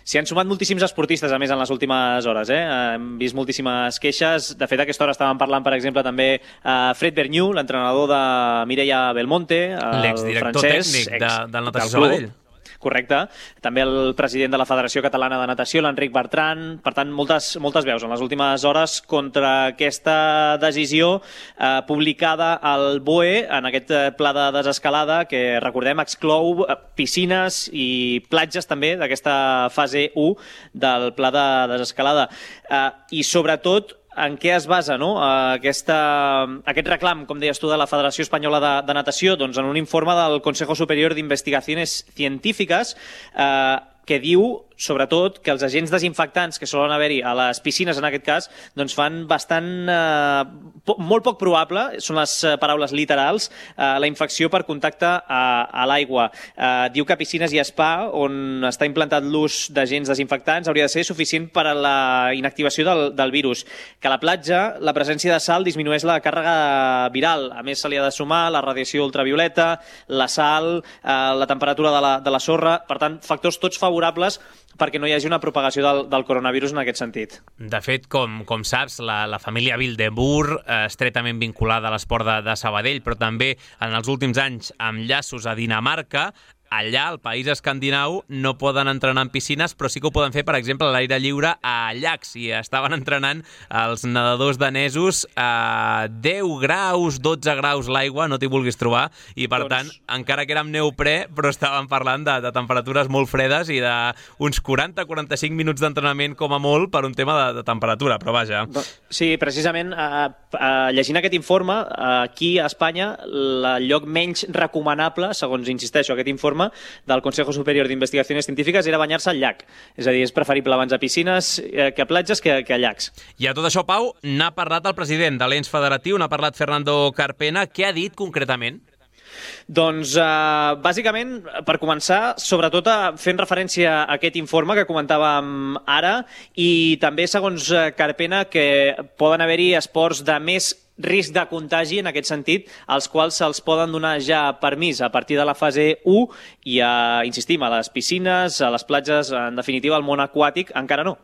Speaker 15: S'hi han sumat moltíssims esportistes, a més, en les últimes hores. Eh? Hem vist moltíssimes queixes. De fet, a aquesta hora estàvem parlant, per exemple, també uh, Fred Berniu, l'entrenador de Mireia Belmonte, el
Speaker 2: l'exdirector
Speaker 15: francès,
Speaker 2: tècnic
Speaker 15: ex,
Speaker 2: de, del Natació Sabadell.
Speaker 15: Correcte. També el president de la Federació Catalana de Natació, l'Enric Bertran. Per tant, moltes, moltes veus en les últimes hores contra aquesta decisió eh, publicada al B O E en aquest pla de desescalada que, recordem, exclou piscines i platges també d'aquesta fase u del pla de desescalada. Eh, I, sobretot, en què es basa, no? Aquesta, aquest reclam, com deies tu, de la Federació Espanyola de, de Natació? Doncs en un informe del Consejo Superior d'Investigaciones Científiques eh, que diu, sobretot, que els agents desinfectants que solen haver-hi a les piscines, en aquest cas, doncs fan bastant, eh, po molt poc probable, són les eh, paraules literals, eh, la infecció per contacte a, a l'aigua. Eh, diu que a piscines i spa, on està implantat l'ús d'agents desinfectants, hauria de ser suficient per a la inactivació del, del virus. Que a la platja, la presència de sal disminueix la càrrega viral. A més, se li ha de sumar la radiació ultravioleta, la sal, eh, la temperatura de la, de la sorra, per tant, factors tots favorables perquè no hi hagi una propagació del, del coronavirus en aquest sentit.
Speaker 2: De fet, com, com saps, la, la família Vildebur eh, estretament vinculada a l'esport de, de Sabadell, però també en els últims anys amb llaços a Dinamarca. Allà, al país escandinau, no poden entrenar en piscines, però sí que ho poden fer, per exemple, a l'aire lliure a llacs. I estaven entrenant els nedadors danesos a deu graus, dotze graus l'aigua, no t'hi vulguis trobar, i per doncs... tant, encara que era amb neoprè, però estaven parlant de, de temperatures molt fredes i d'uns quaranta a quaranta-cinc minuts d'entrenament com a molt per un tema de, de temperatura, però vaja.
Speaker 15: Sí, precisament, eh, eh, llegint aquest informe, eh, aquí a Espanya, el lloc menys recomanable, segons insisteixo, aquest informe, del Consejo Superior d'Investigaciones Científiques era banyar-se al llac. És a dir, és preferible abans a piscines eh, que a platges que, que a llacs.
Speaker 2: I a tot això, Pau, n'ha parlat el president de l'ens federatiu, n'ha parlat Fernando Carpena. Què ha dit concretament?
Speaker 15: Doncs, eh, bàsicament, per començar, sobretot fent referència a aquest informe que comentàvem ara i també, segons Carpena, que poden haver-hi esports de més risc de contagi, en aquest sentit, als quals se'ls poden donar ja permís a partir de la fase u i, a, insistim, a les piscines, a les platges, en definitiva, al món aquàtic, encara no.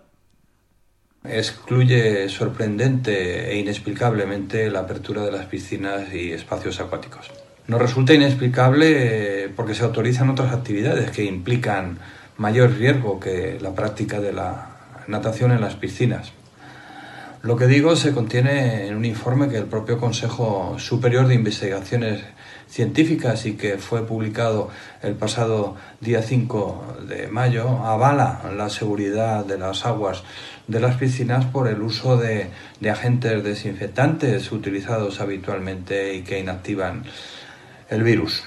Speaker 16: Excluye sorprendente e inexplicablemente la apertura de las piscinas y espacios acuáticos. Nos resulta inexplicable porque se autorizan otras actividades que implican mayor riesgo que la práctica de la natación en las piscinas. Lo que digo se contiene en un informe que el propio Consejo Superior de Investigaciones Científicas y que fue publicado el pasado día cinco de mayo, avala la seguridad de las aguas de las piscinas por el uso de, de agentes desinfectantes utilizados habitualmente y que inactivan el virus.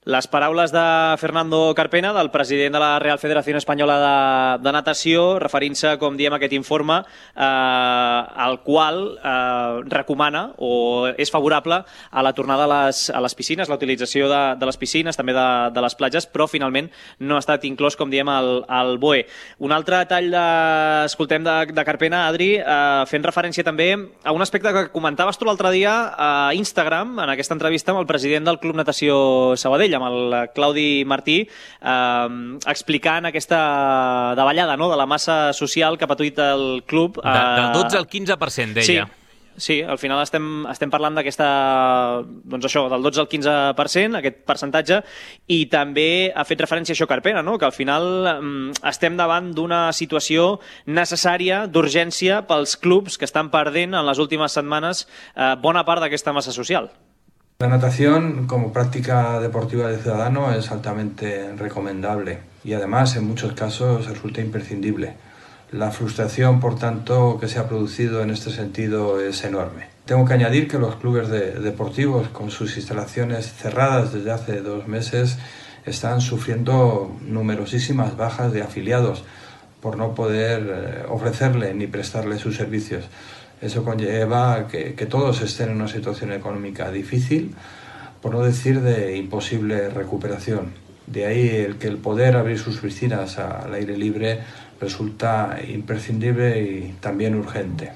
Speaker 15: Les paraules de Fernando Carpena, del president de la Real Federació Espanyola de, de Natació, referint-se, com diem, a aquest informe, eh, el qual eh, recomana o és favorable a la tornada a les, a les piscines, la utilització de, de les piscines, també de, de les platges, però finalment no ha estat inclòs, com diem, al, al B O E. Un altre tall de, escoltem de, de Carpena, Adri, eh, fent referència també a un aspecte que comentaves tu l'altre dia a Instagram, en aquesta entrevista amb el president del Club Natació Sabadell, amb el Claudi Martí, eh, explicant aquesta davallada, no?, de la massa social que ha patit el club. Eh...
Speaker 2: De, del dotze al quinze per cent, deia.
Speaker 15: Sí, sí, al final estem, estem parlant d'aquesta, doncs això, del dotze al quinze per cent, aquest percentatge, i també ha fet referència a això Carpena, no?, que al final eh, estem davant d'una situació necessària, d'urgència, pels clubs que estan perdent en les últimes setmanes eh, bona part d'aquesta massa social.
Speaker 16: La natación como práctica deportiva de ciudadano es altamente recomendable y además en muchos casos resulta imprescindible. La frustración, por tanto, que se ha producido en este sentido es enorme. Tengo que añadir que los clubes de, deportivos con sus instalaciones cerradas desde hace dos meses están sufriendo numerosísimas bajas de afiliados por no poder eh, ofrecerle ni prestarle sus servicios. Eso conlleva que, que todos estén en una situación económica difícil, por no decir de imposible recuperación. De ahí el que el poder abrir sus piscinas al aire libre resulta imprescindible y también urgente.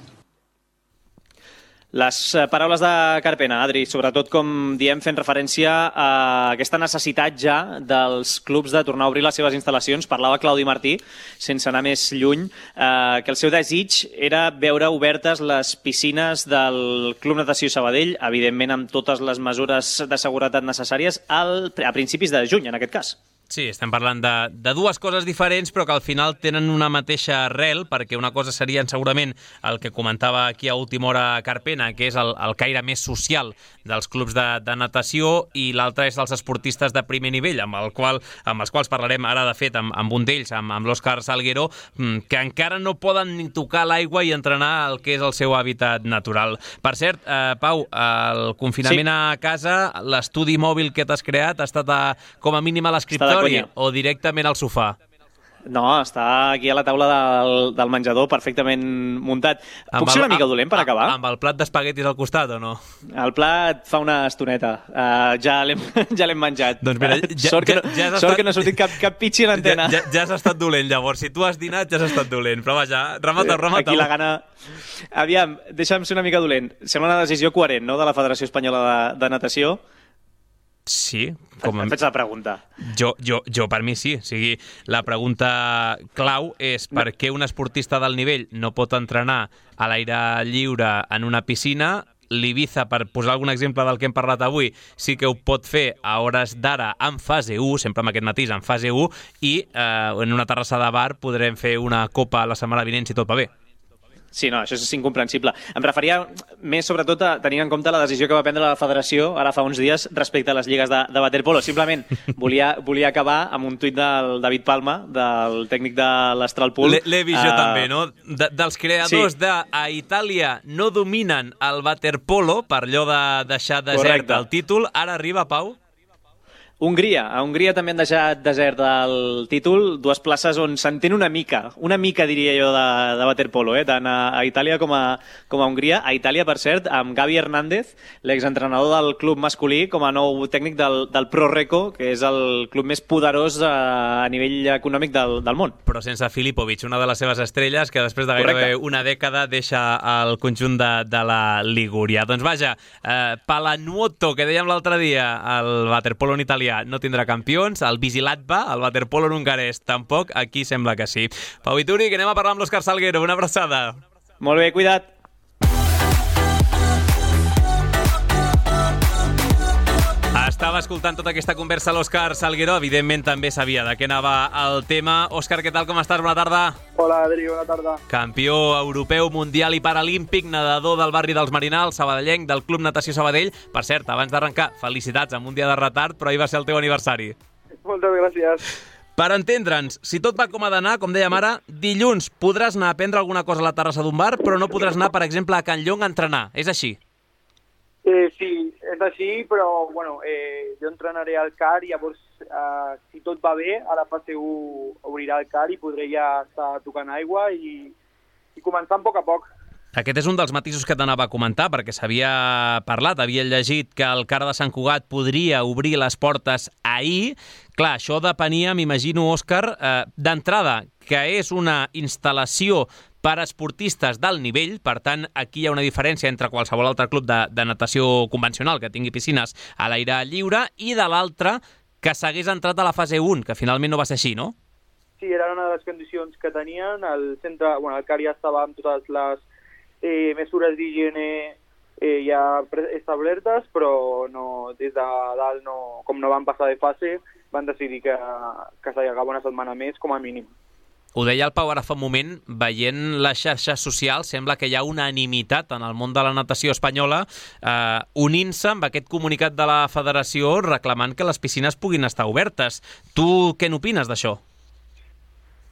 Speaker 15: Les paraules de Carpena, Adri, sobretot, com diem, fent referència a aquesta necessitat ja dels clubs de tornar a obrir les seves instal·lacions. Parlava Claudi Martí, sense anar més lluny, eh, que el seu desig era veure obertes les piscines del Club Natació Sabadell, evidentment amb totes les mesures de seguretat necessàries, al, a principis de juny, en aquest cas.
Speaker 2: Sí, estem parlant de, de dues coses diferents, però que al final tenen una mateixa arrel, perquè una cosa serien segurament el que comentava aquí a última hora Carpena, que és el, el caire més social dels clubs de, de natació, i l'altre és els esportistes de primer nivell, amb, el qual, amb els quals parlarem ara, de fet, amb, amb un d'ells, amb, amb l'Òscar Salguero, que encara no poden ni tocar l'aigua i entrenar el que és el seu hàbitat natural. Per cert, eh, Pau, el confinament sí. a casa, l'estudi mòbil que t'has creat ha estat a, com a mínim a l'escriptori o directament al sofà?
Speaker 15: No, està aquí a la taula del, del menjador perfectament muntat. Puc ser una mica dolent per acabar?
Speaker 2: Amb el plat d'espaguetis al costat o no?
Speaker 15: El plat fa una estoneta. Uh, ja l'hem ja l'hem menjat.
Speaker 2: Doncs mira, ja,
Speaker 15: sort que no,
Speaker 2: ja, ja has
Speaker 15: sort
Speaker 2: estat...
Speaker 15: que no ha sortit cap, cap pitxi en antena.
Speaker 2: Ja, ja, ja has estat dolent, llavors. Si tu has dinat, ja has estat dolent. Però vaja, remata-ho, remata-ho.
Speaker 15: Aquí la gana... Aviam, deixa'm ser una mica dolent. Sembla una decisió coherent, no?, de la Federació Espanyola de, de Natació.
Speaker 2: Sí. Com
Speaker 15: em fets la pregunta.
Speaker 2: Jo, jo, jo per mi sí. O sigui, la pregunta clau és per què un esportista del nivell no pot entrenar a l'aire lliure en una piscina. L'Ibiza, per posar algun exemple del que hem parlat avui, sí que ho pot fer a hores d'ara en fase u, sempre amb aquest matís, en fase u, i eh, en una terrassa de bar podrem fer una copa la setmana vinent si tot va bé.
Speaker 15: Sí, no, això és incomprensible. Em referia més, sobretot, a tenir en compte la decisió que va prendre la Federació ara fa uns dies respecte a les lligues de, de waterpolo. Simplement volia, volia acabar amb un tuit del David Palma, del tècnic de l'Astralpool.
Speaker 2: L'he vist jo uh, també, no? De, dels creadors sí. de a Itàlia no dominen el waterpolo per allò de deixar desert Correcte. El títol. Ara arriba, Pau?
Speaker 15: Hongria. A Hongria també han deixat desert el títol, dues places on s'entén una mica, una mica diria jo de, de waterpolo, eh? Tant a, a Itàlia com a, com a Hongria. A Itàlia, per cert, amb Gavi Hernández, l'exentrenador del club masculí, com a nou tècnic del, del Pro Reco, que és el club més poderós a, a nivell econòmic del, del món.
Speaker 2: Però sense Filipovic, una de les seves estrelles, que després de gairebé Correcte. una dècada deixa el conjunt de, de la Ligúria. Doncs vaja, eh, Palanuoto, que dèiem l'altre dia, el waterpolo en italià, no tindrà campions, el Visilatva, el waterpolo en hongarès, tampoc, aquí sembla que sí. Pau Vituri, que anem a parlar amb l'Òscar Salguero, una abraçada.
Speaker 15: Molt bé, cuida't.
Speaker 2: Estava escoltant tota aquesta conversa a l'Òscar Salguero, evidentment també sabia de què anava el tema. Òscar, què tal, com estàs? Bona tarda.
Speaker 17: Hola, Adri, bona tarda.
Speaker 2: Campió europeu, mundial i paralímpic, nedador del barri dels Marinals, sabadellenc, del Club Natació Sabadell. Per cert, abans d'arrencar, felicitats amb un dia de retard, però ahir va ser el teu aniversari.
Speaker 17: Moltes gràcies.
Speaker 2: Per entendre'ns, si tot va com ha d'anar, com dèiem ara, dilluns podràs anar a prendre alguna cosa a la terrassa d'un bar, però no podràs anar, per exemple, a Can Llong a entrenar. És així?
Speaker 17: Eh, sí, és així, però bueno, eh, jo entrenaré al C A R i llavors, eh, si tot va bé, a la fase u obrirà el C A R i podré ja estar tocant aigua i, i començant a poc a poc.
Speaker 2: Aquest és un dels matisos que t'anava a comentar, perquè s'havia parlat, havia llegit que el C A R de Sant Cugat podria obrir les portes ahir. Clar, això depenia, m'imagino, Òscar, eh, d'entrada, que és una instal·lació per a esportistes d'alt nivell, per tant, aquí hi ha una diferència entre qualsevol altre club de, de natació convencional que tingui piscines a l'aire lliure, i de l'altre, que s'hagués entrat a la fase u, que finalment no va ser així, no?
Speaker 17: Sí, era una de les condicions que tenien. El centre, bueno, el C A R ja estava amb totes les eh, mesures d'higiene eh, ja establertes, però no, des de dalt, no, com no van passar de fase, van decidir que, que s'allargava una setmana més, com a mínim.
Speaker 2: Ho deia el Pau ara fa un moment, veient les xarxes socials, sembla que hi ha unanimitat en el món de la natació espanyola eh, unint-se amb aquest comunicat de la federació reclamant que les piscines puguin estar obertes. Tu què n'opines d'això?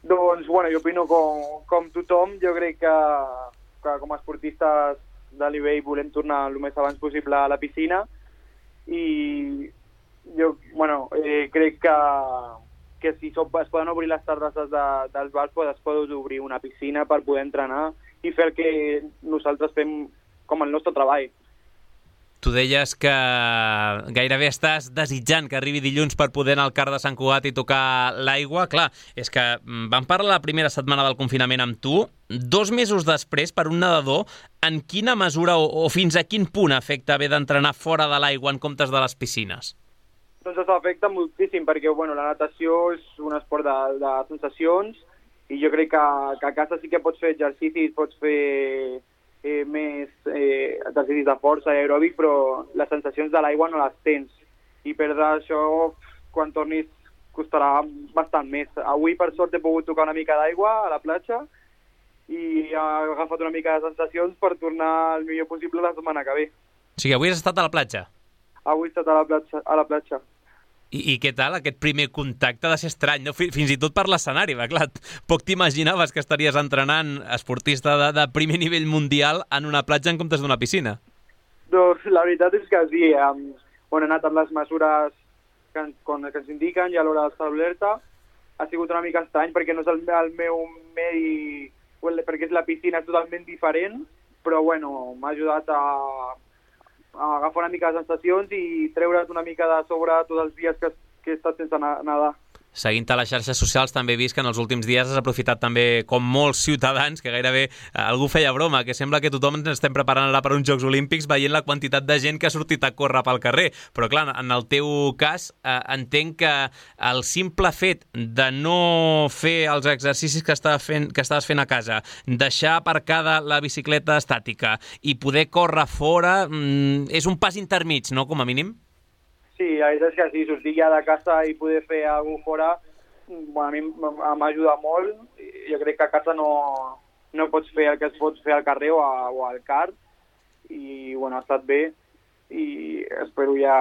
Speaker 17: Doncs, bueno, jo opino com, com tothom. Jo crec que, que com a esportistes de nivell volem tornar el més abans possible a la piscina i jo, bueno, eh, crec que que si es poden obrir les terrasses de, dels bars, pues es pot obrir una piscina per poder entrenar i fer el que nosaltres fem com el nostre treball.
Speaker 2: Tu deies que gairebé estàs desitjant que arribi dilluns per poder anar al C A R de Sant Cugat i tocar l'aigua. Clar, és que vam parlar la primera setmana del confinament amb tu, dos mesos després, per un nedador, en quina mesura o, o fins a quin punt afecta haver d'entrenar fora de l'aigua en comptes de les piscines?
Speaker 17: Doncs això afecta moltíssim, perquè bueno, la natació és un esport de, de sensacions i jo crec que, que a casa sí que pots fer exercicis, pots fer eh, més eh, exercicis de força i aeròbic, però les sensacions de l'aigua no les tens. I perdre això, quan tornis, costarà bastant més. Avui, per sort, he pogut tocar una mica d'aigua a la platja i he agafat una mica de sensacions per tornar el millor possible la setmana que ve.
Speaker 2: O sigui, avui has estat a la platja?
Speaker 17: Avui he estat a la platja. A la platja.
Speaker 2: I, I què tal? Aquest primer contacte ha de ser estrany, no? Fins i tot per l'escenari, va, clar. Poc t'imaginaves que estaries entrenant esportista de, de primer nivell mundial en una platja en comptes d'una piscina.
Speaker 17: Doncs la veritat és que sí. Hem, bueno, he anat amb les mesures que, que ens indiquen i a l'hora d'establerta. Ha sigut una mica estrany perquè no és el, el meu medi, perquè és la piscina és totalment diferent, però bueno, m'ha ajudat a agafar una mica de sensacions i treure't una mica de sobre tots els dies que, que he estat sense nedar.
Speaker 2: Seguint a les xarxes socials també he vist que en els últims dies has aprofitat també, com molts ciutadans, que gairebé eh, algú feia broma, que sembla que tothom ens estem preparant ara per uns Jocs Olímpics veient la quantitat de gent que ha sortit a córrer pel carrer. Però clar, en el teu cas eh, entenc que el simple fet de no fer els exercicis que estaves fent, que estaves fent a casa, deixar aparcada la bicicleta estàtica i poder córrer fora, mm, és un pas intermig, no?, com a mínim?
Speaker 17: Sí, la veritat és que sí, sortir ja de casa i poder fer alguna cosa fora, bueno, a mi m'ajuda molt. Jo crec que a casa no, no pots fer el que es pot fer al carrer o, a, o al C A R, i bueno, ha estat bé, i espero ja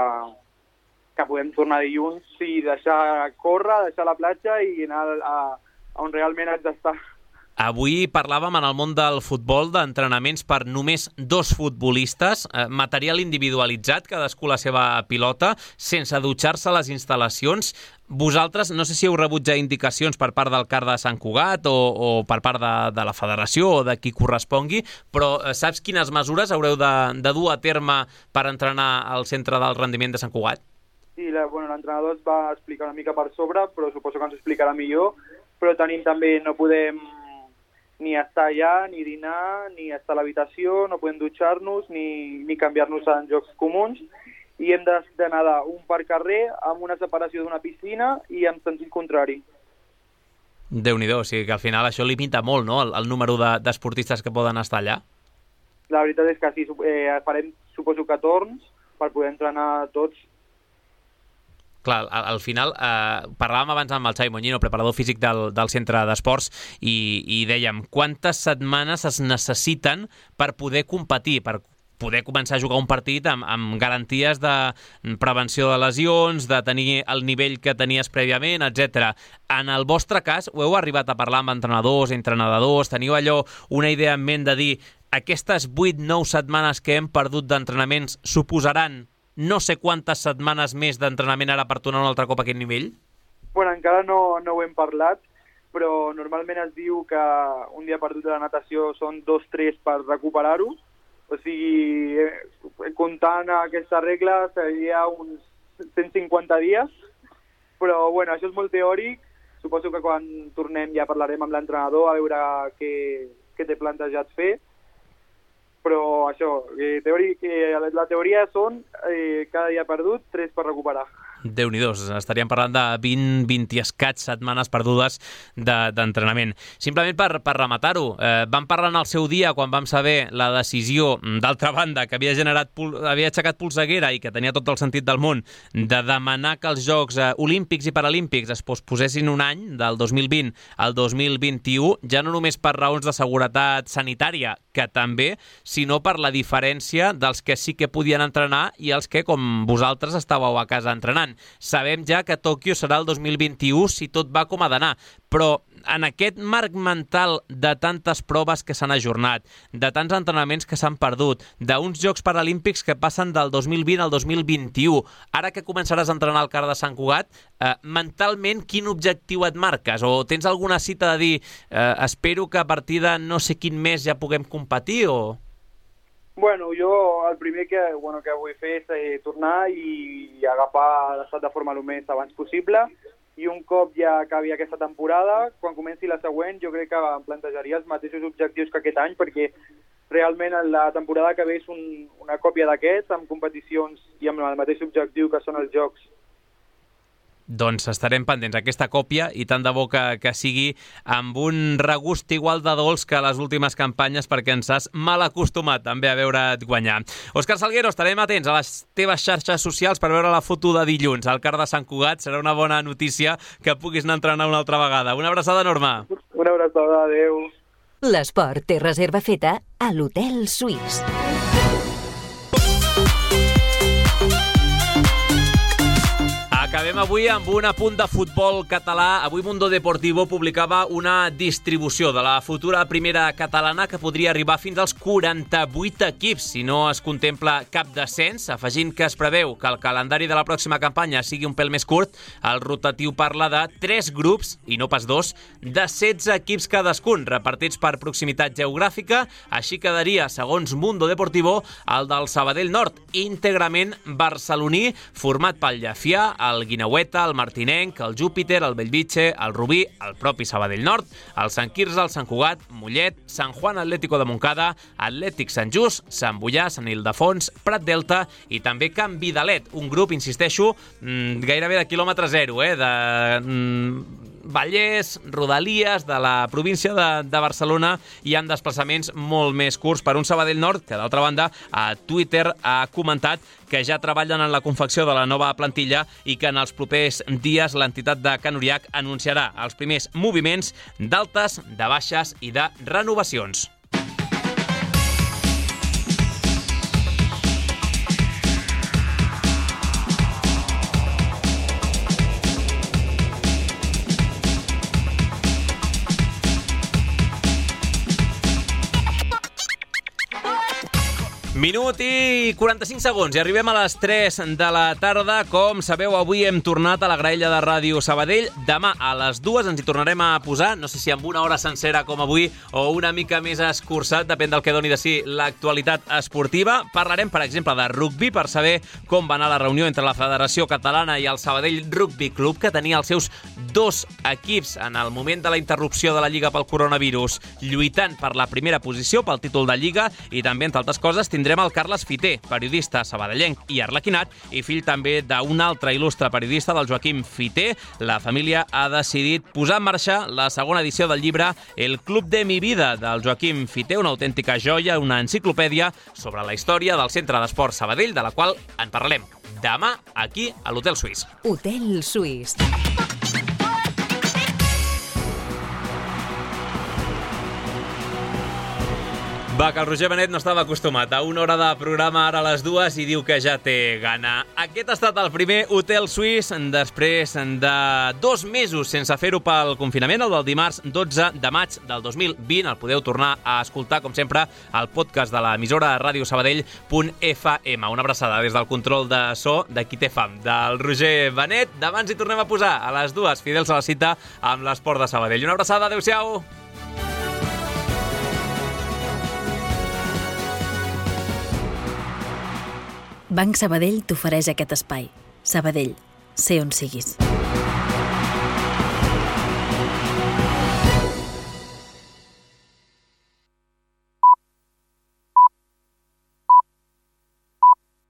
Speaker 17: que podem tornar dilluns i deixar córrer, deixar la platja i anar a, a on realment haig d'estar.
Speaker 2: Avui parlàvem en el món del futbol d'entrenaments per només dos futbolistes, eh, material individualitzat, cadascú la seva pilota, sense dutxar-se a les instal·lacions. Vosaltres, no sé si heu rebut ja indicacions per part del C A R de Sant Cugat o, o per part de, de la federació o de qui correspongui, però eh, saps quines mesures haureu de, de dur a terme per entrenar al centre del rendiment de Sant Cugat?
Speaker 17: Sí, la, bueno, l'entrenador es va explicar una mica per sobre, però suposo que ens explicarà millor, però tenim també, no podem ni estar allà, ni dinar, ni estar a l'habitació, no podem dutxar-nos, ni, ni canviar-nos en jocs comuns, i hem de nedar un per carrer amb una separació d'una piscina i en sentit contrari.
Speaker 2: Déu-n'hi-do, o sigui que al final això limita molt, no?, el, el número d'esportistes de, que poden estar allà.
Speaker 17: La veritat és que sí, eh, farem, suposo que torns, per poder entrenar tots.
Speaker 2: Clar, al, al final, eh, parlàvem abans amb el Xavi Moñino, preparador físic del, del centre d'esports, i, i dèiem, quantes setmanes es necessiten per poder competir, per poder començar a jugar un partit amb, amb garanties de prevenció de lesions, de tenir el nivell que tenies prèviament, etcètera. En el vostre cas, ho heu arribat a parlar amb entrenadors, entrenadors, teniu allò una idea en ment de dir aquestes vuit nou setmanes que hem perdut d'entrenaments suposaran no sé quantes setmanes més d'entrenament ara per tornar un altre cop a aquest nivell?
Speaker 17: Bueno, encara no, no ho hem parlat, però normalment es diu que un dia perdut de la natació són dos tres per recuperar-ho. O sigui, eh, comptant aquesta regla seria uns cent cinquanta dies, però bueno, això és molt teòric. Suposo que quan tornem ja parlarem amb l'entrenador a veure què, què té plantejat fer. Però això, eh, teòric, eh, la teoria són eh, cada dia perdut, tres per recuperar.
Speaker 2: Déu-n'hi-do, estaríem parlant de vint, vint i escaig setmanes perdudes d'entrenament. De, Simplement per, per rematar-ho, eh, vam parlar en el seu dia, quan vam saber la decisió, d'altra banda, que havia generat havia aixecat polseguera i que tenia tot el sentit del món, de demanar que els Jocs eh, Olímpics i Paralímpics es posposessin un any, del dos mil vint al dos mil vint-i-u, ja no només per raons de seguretat sanitària, que també, sinó per la diferència dels que sí que podien entrenar i els que, com vosaltres, estàveu a casa entrenant. Sabem ja que Tòquio serà el dos mil vint-i-u si tot va com ha d'anar, però en aquest marc mental de tantes proves que s'han ajornat, de tants entrenaments que s'han perdut, d'uns Jocs Paralímpics que passen del dos mil vint al dos mil vint-i-u, ara que començaràs a entrenar al CAR de Sant Cugat, eh, mentalment quin objectiu et marques? O tens alguna cita de dir eh, espero que a partir de no sé quin mes ja puguem competir o...
Speaker 17: Bueno, jo el primer que, bueno, que vull fer és eh, tornar i agafar l'estat de forma el més abans possible, i un cop ja acabi aquesta temporada, quan comenci la següent, jo crec que em plantejaria els mateixos objectius que aquest any, perquè realment la temporada que ve és un, una còpia d'aquest, amb competicions i amb el mateix objectiu que són els Jocs.
Speaker 2: Doncs estarem pendents aquesta còpia i tant de bo que, que sigui amb un regust igual de dolç que les últimes campanyes, perquè ens has mal acostumat també a veure't guanyar. Òscar Salguero, estarem atents a les teves xarxes socials per veure la foto de dilluns al CAR de Sant Cugat. Serà una bona notícia que puguis anar a entrenar una altra vegada. Una abraçada enorme.
Speaker 17: Una abraçada, adeu.
Speaker 3: L'esport té reserva feta a l'Hotel Suís.
Speaker 2: Acabem avui amb un apunt de futbol català. Avui Mundo Deportivo publicava una distribució de la futura primera catalana que podria arribar fins als quaranta-vuit equips si no es contempla cap descens, afegint que es preveu que el calendari de la pròxima campanya sigui un pèl més curt. El rotatiu parla de tres grups, i no pas dos, de setze equips cadascun, repartits per proximitat geogràfica. Així quedaria, segons Mundo Deportivo, el del Sabadell Nord, íntegrament barceloní, format pel Llefià, el Guineueta, el Martinenc, el Júpiter, el Bellvitge, el Rubí, el propi Sabadell Nord, el Sant Quirze, el Sant Cugat, Mollet, Sant Juan Atlético de Montcada, Atlètic Sant Just, Sant Boià, Sant Ildefons, Prat Delta i també Can Vidalet, un grup, insisteixo, gairebé de quilòmetre zero, eh, de Vallès, Rodalies, de la província de, de Barcelona, i amb desplaçaments molt més curts per un Sabadell Nord, que d'altra banda a Twitter ha comentat que ja treballen en la confecció de la nova plantilla i que en els propers dies l'entitat de Can Uriach anunciarà els primers moviments d'altes, de baixes i de renovacions. Minut i quaranta-cinc segons i arribem a les tres de la tarda. Com sabeu, avui hem tornat a la graella de Ràdio Sabadell. Demà a les dues ens hi tornarem a posar, no sé si amb una hora sencera com avui o una mica més escurçat, depèn del que doni de si l'actualitat esportiva. Parlarem, per exemple, de rugbi per saber com va anar la reunió entre la Federació Catalana i el Sabadell Rugby Club, que tenia els seus dos equips en el moment de la interrupció de la Lliga pel coronavirus, lluitant per la primera posició, pel títol de Lliga, i també, entre altres coses, tindrem tindrem el Carles Fiter, periodista sabadellenc i arlequinat, i fill també d'un altre il·lustre periodista, del Joaquim Fiter. La família ha decidit posar en marxa la segona edició del llibre El Club de mi vida, del Joaquim Fiter, una autèntica joia, una enciclopèdia sobre la història del Centre d'Esports Sabadell, de la qual en parlarem demà aquí a l'Hotel Suís.
Speaker 3: Hotel Suís.
Speaker 2: Va, que el Roger Benet no estava acostumat a una hora de programa ara a les dues i diu que ja té gana. Aquest ha estat el primer Hotel Suís després de dos mesos sense fer-ho pel confinament, el del dimarts dotze de maig del dos mil vint. El podeu tornar a escoltar, com sempre, al podcast de l'emissora ràdio sabadell punt f m. Una abraçada des del control de so de qui té fam, del Roger Benet. Demà ens hi tornem a posar a les dues, fidels a la cita amb l'esport de Sabadell. Una abraçada, adeu-siau!
Speaker 18: Banc Sabadell t'ofereix aquest espai. Sabadell, sé on siguis.